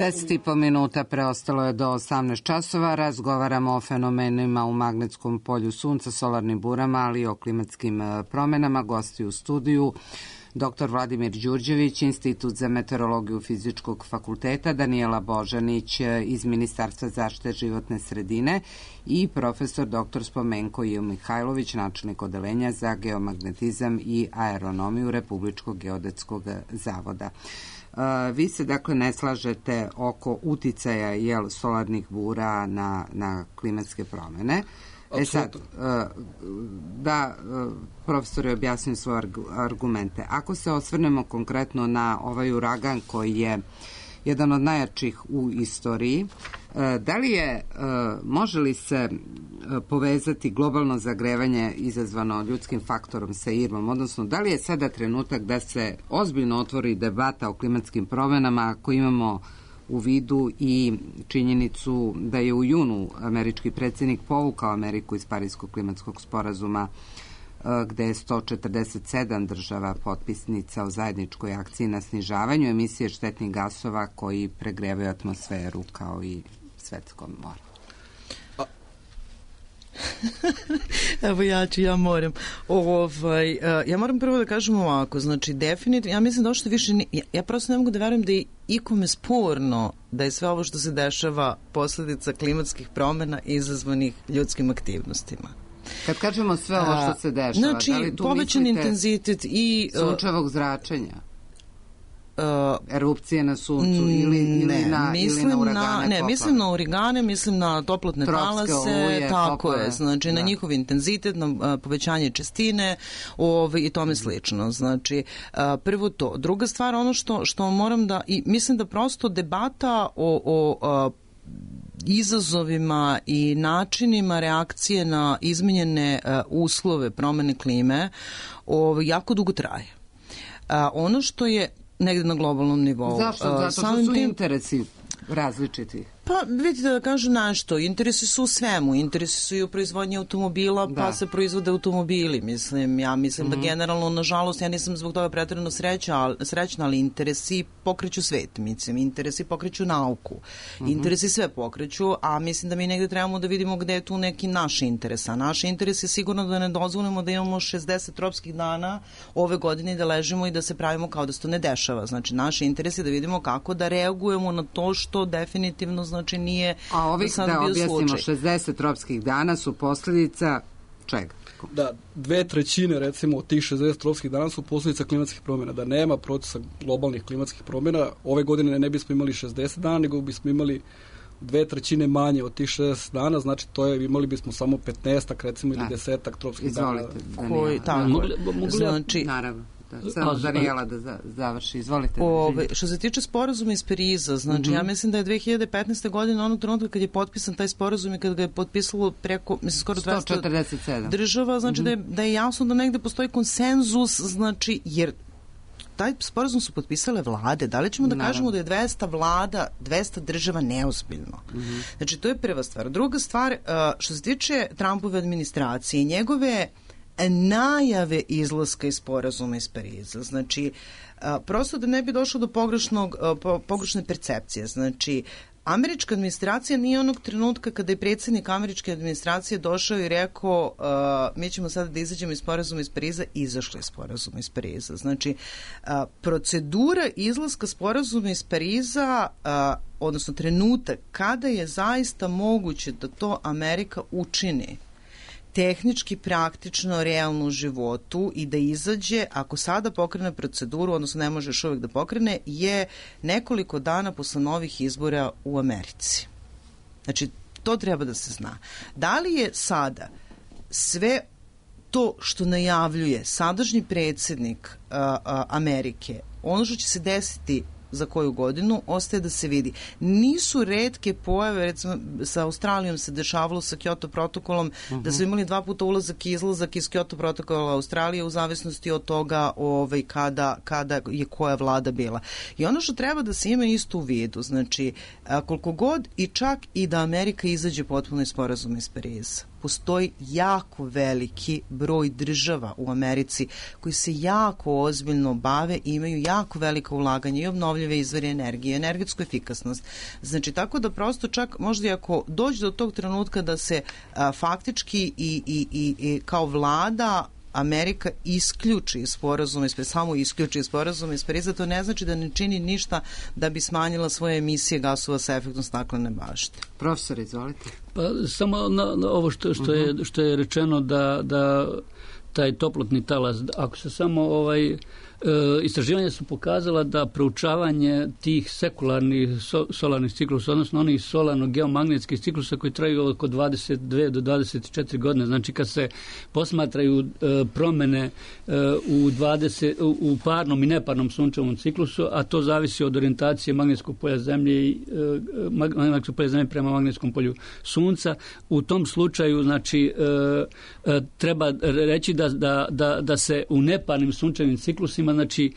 deset i po minuta preostalo je do osamnaest časova. Razgovaramo o fenomenima u magnetskom polju sunca, solarnim burama, ali i o klimatskim promenama. Gosti u studiju doktor Vladimir Đurđević, Institut za meteorologiju Fizičkog fakulteta, Danijela Božanić iz Ministarstva zaštite životne sredine i profesor doktor Spomenko J. Mihajlović, načelnik odeljenja za geomagnetizam i aeronomiju Republičkog geodetskog zavoda. Vi se dakle ne slažete oko uticaja jel, solarnih bura na, na klimatske promene. E sad, da profesor je objasnio svoje argumente. Ako se osvrnemo konkretno na ovaj uragan koji je jedan od najjačih u istoriji, da li je, može li se povezati globalno zagrevanje izazvano ljudskim faktorom sa Irmom, odnosno da li je sada trenutak da se ozbiljno otvori debata o klimatskim promenama ako imamo u vidu i činjenicu da je u junu američki predsjednik povukao Ameriku iz Parijskog klimatskog sporazuma gde je sto četrdeset sedam država potpisnica o zajedničkoj akciji na snižavanju emisije štetnih gasova koji pregrevaju atmosferu kao i svetsko more. Evo ja ću, ja moram. Ovaj, ja moram prvo da kažem ovako, znači definitivno, ja mislim da ovo što više, ja, ja prosto ne mogu da verujem da je ikome sporno da je sve ovo što se dešava posledica klimatskih promena izazvanih ljudskim aktivnostima. Kad kažemo sve ovo što se dešava, znači, da li tu povećan mislite intenzitet i sunčevog zračenja? Uh, erupcije na suncu ili, ili, ne, na, mislim ili na uragane na, ne, mislim na uragane, mislim na toplotne talase, uje, tako poplave. je, znači da. Na njihov intenzitet, na a, povećanje čestine ovaj, i tome slično. Znači, a, prvo to. Druga stvar, ono što, što moram da, i mislim da prosto debata o, o a, izazovima i načinima reakcije na izmenjene a, uslove promene klime ovaj, jako dugo traje. A, ono što je negde na globalnom nivou. Zašto? Zato što su interesi različiti. Pa vidite da kažem nešto, interesi su u svemu, interesi su i u proizvodnji automobila, da. Pa se proizvode automobili, mislim, ja mislim mm-hmm. da generalno, nažalost, ja nisam zbog toga pretjerano sreća, srećna, ali interesi pokreću svet, mislim, interesi pokreću nauku, mm-hmm. interesi sve pokreću, a mislim da mi negde trebamo da vidimo gde je tu neki naš interes, a naš interes je sigurno da ne dozvolimo da imamo šezdeset tropskih dana ove godine i da ležimo i da se pravimo kao da se to ne dešava, znači naš interes je da vidimo kako da reagujemo na to što definitivno znači nije a ovih, sad da bio objasnimo, slučaj. šezdeset tropskih dana su posljedica čega? Da, dve trećine recimo od tih šezdeset tropskih dana su posljedica klimatskih promjena. Da nema procesa globalnih klimatskih promjena, ove godine ne bismo imali šezdeset dana, nego bismo imali dve trećine manje od tih šezdeset dana, znači to je, imali bismo samo petnaestak recimo ili desetak tropskih Izvolite, dana. Koji, tako, mogli, mogli, znači, naravno. Da, samo Danijela da završi. Izvolite. Ove, što se tiče sporazuma iz Pariza, znači mm-hmm. ja mislim da je dve hiljade petnaeste. godine onog trenutka kad je potpisan taj sporazum i kad ga je potpisalo preko, mislim, skoro sto četrdeset sedam država, znači mm-hmm. da, je, da je jasno da negde postoji konsenzus, znači, jer taj sporazum su potpisale vlade. Da li ćemo da Naravno. kažemo da je dvesta vlada, dvesta država neozbiljno? Mm-hmm. Znači, to je prva stvar. Druga stvar, što se tiče Trumpove administracije i njegove najave izlaska iz sporazuma iz Pariza. Znači, a, prosto da ne bi došlo do pogrešnog, a, po, pogrešne percepcije. Znači, američka administracija nije onog trenutka kada je predsjednik američke administracije došao i rekao uh, mi ćemo sada da izađemo iz sporazuma iz Pariza, izašli iz sporazuma iz Pariza. Znači, uh, procedura izlaska sporazuma iz Pariza, uh, odnosno trenutak kada je zaista moguće da to Amerika učini tehnički, praktično, realno u životu i da izađe, ako sada pokrene proceduru, odnosno ne može još uvek da pokrene, je nekoliko dana posle novih izbora u Americi. Znači, to treba da se zna. Da li je sada sve to što najavljuje sadašnji predsjednik uh, uh, Amerike, ono što će se desiti za koju godinu, ostaje da se vidi. Nisu retke pojave, recimo sa Australijom se dešavalo sa Kyoto protokolom, uh-huh. da su imali dva puta ulazak i izlazak iz Kyoto protokola Australije u zavisnosti od toga ovaj, kada, kada je koja vlada bila. I ono što treba da se ima isto u vidu, znači a, koliko god i čak i da Amerika izađe potpuno iz sporazuma iz Pariza, postoji jako veliki broj država u Americi koji se jako ozbiljno bave i imaju jako velika ulaganja i obnovljive obnovljive izvore energije, energetsku efikasnost. Znači, tako da prosto čak možda i ako dođe do tog trenutka da se a, faktički i, i, i, i kao vlada Amerika isključi sporazum, samo isključi sporazum iz Pariza, to ne znači da ne čini ništa da bi smanjila svoje emisije gasova sa efektom staklene bašte. Profesor, izvolite. Pa samo na, na ovo što, što, je, što je rečeno da, da taj toplotni talas, ako se samo ovaj E, istraživanja su pokazala da proučavanje tih sekularnih so, solarnih ciklusa, odnosno onih solarno-geomagnetskih ciklusa koji traju oko dvadeset dve do dvadeset četiri godine, znači kad se posmatraju e, promene e, u, dvadeset, u, u parnom i neparnom sunčevom ciklusu, a to zavisi od orijentacije magnetskog polja Zemlje i e, magnetskog polja Zemlje prema magnetskom polju Sunca. U tom slučaju, znači, e, e, treba reći da, da, da, da se u neparnim sunčevim ciklusima, znači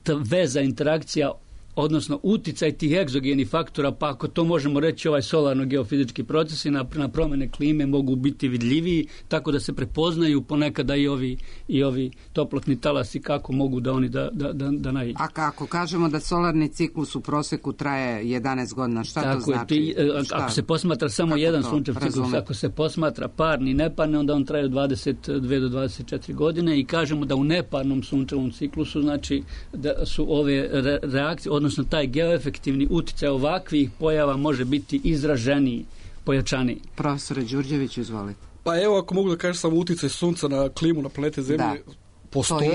ta veza, interakcija, odnosno uticaj tih egzogenih faktora, pa ako to možemo reći, ovaj solarno-geofizički procesi na, na promene klime mogu biti vidljiviji, tako da se prepoznaju ponekada i ovi, i ovi toplotni talasi, kako mogu da oni da, da, da, da naiđu. A kako kažemo da solarni ciklus u proseku traje jedanaest godina, šta tako to znači? Ti, šta? Ako se posmatra samo kako jedan sunčev ciklus, ako se posmatra parni i neparni, onda on traje dvadeset dve do dvadeset četiri godine i kažemo da u neparnom sunčevom ciklusu, znači da su ove re, reakcije, odnosno taj geoefektivni uticaj ovakvih pojava može biti izraženiji, pojačaniji. Profesore Đurđević, izvolite. Pa evo, ako mogu da kažem samo uticaj sunca na klimu na planete Zemlje, da, postoji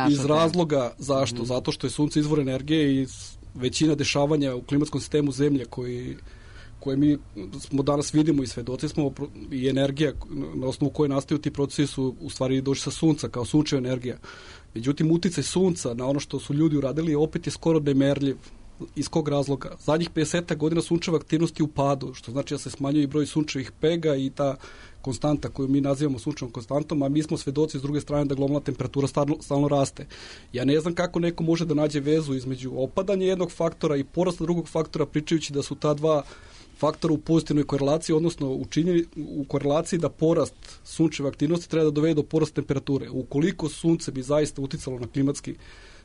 iz razloga zašto? Mm-hmm. Zato što je sunce izvor energije i većina dešavanja u klimatskom sistemu Zemlje koji koje mi smo danas vidimo i svedoci smo i energija na osnovu koje nastaju ti procesi su u stvari došli sa sunca kao sunčeva energija. Međutim, uticaj sunca na ono što su ljudi uradili opet je skoro nemerljiv. Iz kog razloga? Zadnjih pedeset godina sunčeva aktivnost je u padu, što znači da se smanjuje i broj sunčevih pega i ta konstanta koju mi nazivamo sunčevom konstantom, a mi smo svedoci s druge strane da globalna temperatura stalno, stalno raste. Ja ne znam kako neko može da nađe vezu između opadanja jednog faktora i porasta drugog faktora, pričajući da su ta dva faktora u pozitivnoj korelaciji, odnosno u, činjeni, u korelaciji da porast sunčeve aktivnosti treba da dovede do porasta temperature. Ukoliko sunce bi zaista uticalo na klimatski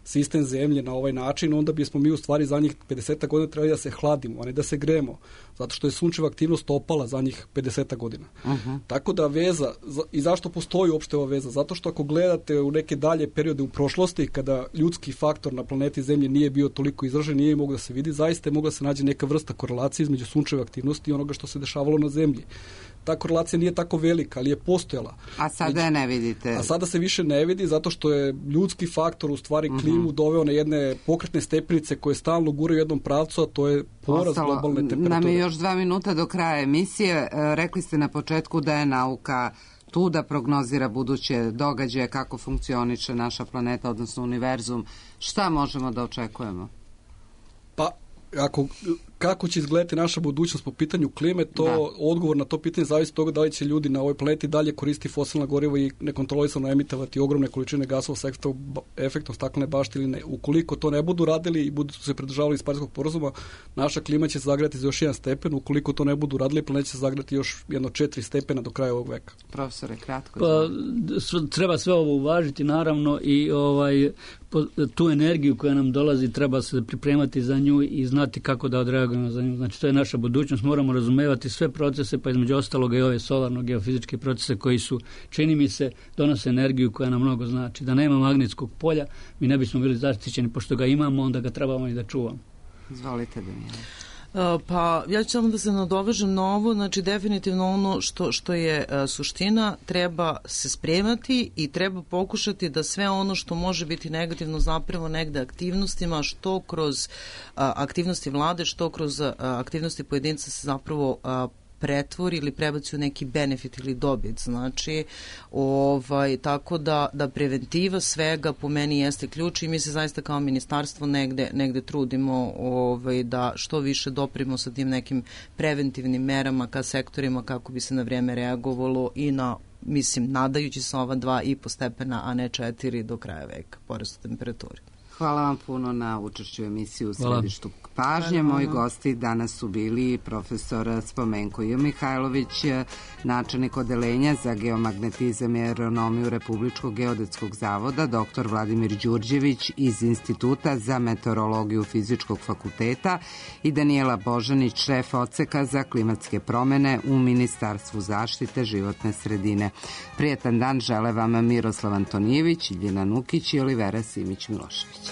sistem Zemlje na ovaj način, onda bismo mi u stvari za njih pedeset godina trebali da se hladimo, a ne da se gremo, zato što je sunčeva aktivnost opala za njih pedeset godina. Uh-huh. Tako da veza, i zašto postoji uopšte ova veza? Zato što ako gledate u neke dalje periode u prošlosti, kada ljudski faktor na planeti Zemlje nije bio toliko izražen, nije mogao da se vidi, zaista je mogla se nađe neka vrsta korelacije između sunčeve aktivnosti i onoga što se dešavalo na Zemlji. Ta korelacija nije tako velika, ali je postojala. A sada je ne vidite. A sada se više ne vidi zato što je ljudski faktor u stvari klimu uh-huh. doveo na jedne pokretne stepenice koje stalno guraju u jednom pravcu, a to je porast Ostalo, globalne temperature. Nam je još dva minuta do kraja emisije. Rekli ste na početku da je nauka tu da prognozira buduće događaje, kako funkcioniše naša planeta, odnosno univerzum. Šta možemo da očekujemo? Pa, ako kako će izgledati naša budućnost po pitanju klime, to da. Odgovor na to pitanje zavisi od toga da li će ljudi na ovoj planeti dalje koristiti fosilna goriva i nekontrolisano emitovati ogromne količine gasova sa efektom staklene bašte ili ne. Ukoliko to ne budu radili i budu se pridržavali iz Pariskog sporazuma, naša klima će se zagrati za još jedan stepen. Ukoliko to ne budu radili, planet će se zagrati još jedno četiri stepena do kraja ovog veka. Profesore, kratko. Pa, treba sve ovo uvažiti, naravno, i ovaj tu energiju koja nam dolazi treba se pripremati za nju i znati kako da odreagujemo za nju. Znači, to je naša budućnost. Moramo razumevati sve procese, pa između ostaloga i ove solarno-geofizičke procese koji su, čini mi se, donose energiju koja nam mnogo znači. Da nema magnetskog polja, mi ne bismo bili zaštićeni, pošto ga imamo, onda ga trebamo i da čuvamo. Izvolite, Danijela. Pa ja ću samo da se nadovežem na ovo, znači definitivno ono što, što je a, suština, treba se spremati i treba pokušati da sve ono što može biti negativno zapravo negde aktivnostima, što kroz a, aktivnosti vlade, što kroz a, aktivnosti pojedinca se zapravo a, pretvori ili prebaci u neki benefit ili dobit. Znači, ovaj, tako da, da preventiva svega po meni jeste ključ i mi se zaista kao ministarstvo negde, negde trudimo ovaj, da što više doprimo sa tim nekim preventivnim merama ka sektorima kako bi se na vrijeme reagovalo i na, mislim, nadajući se ova dva i po stepena, a ne četiri do kraja veka, porast temperature. Hvala vam puno na učešću u emisiji u Središtu pažnje. Moji gosti danas su bili profesor Spomenko J. Mihajlović, načelnik odeljenja za geomagnetizam i aeronomiju Republičkog geodetskog zavoda, doktor Vladimir Đurđević iz Instituta za meteorologiju Fizičkog fakulteta i Danijela Božanić, šef odseka za klimatske promene u Ministarstvu zaštite životne sredine. Prijetan dan žele vam Miroslav Antonijević, Iljena Nukić i Olivera Simić-Milošević.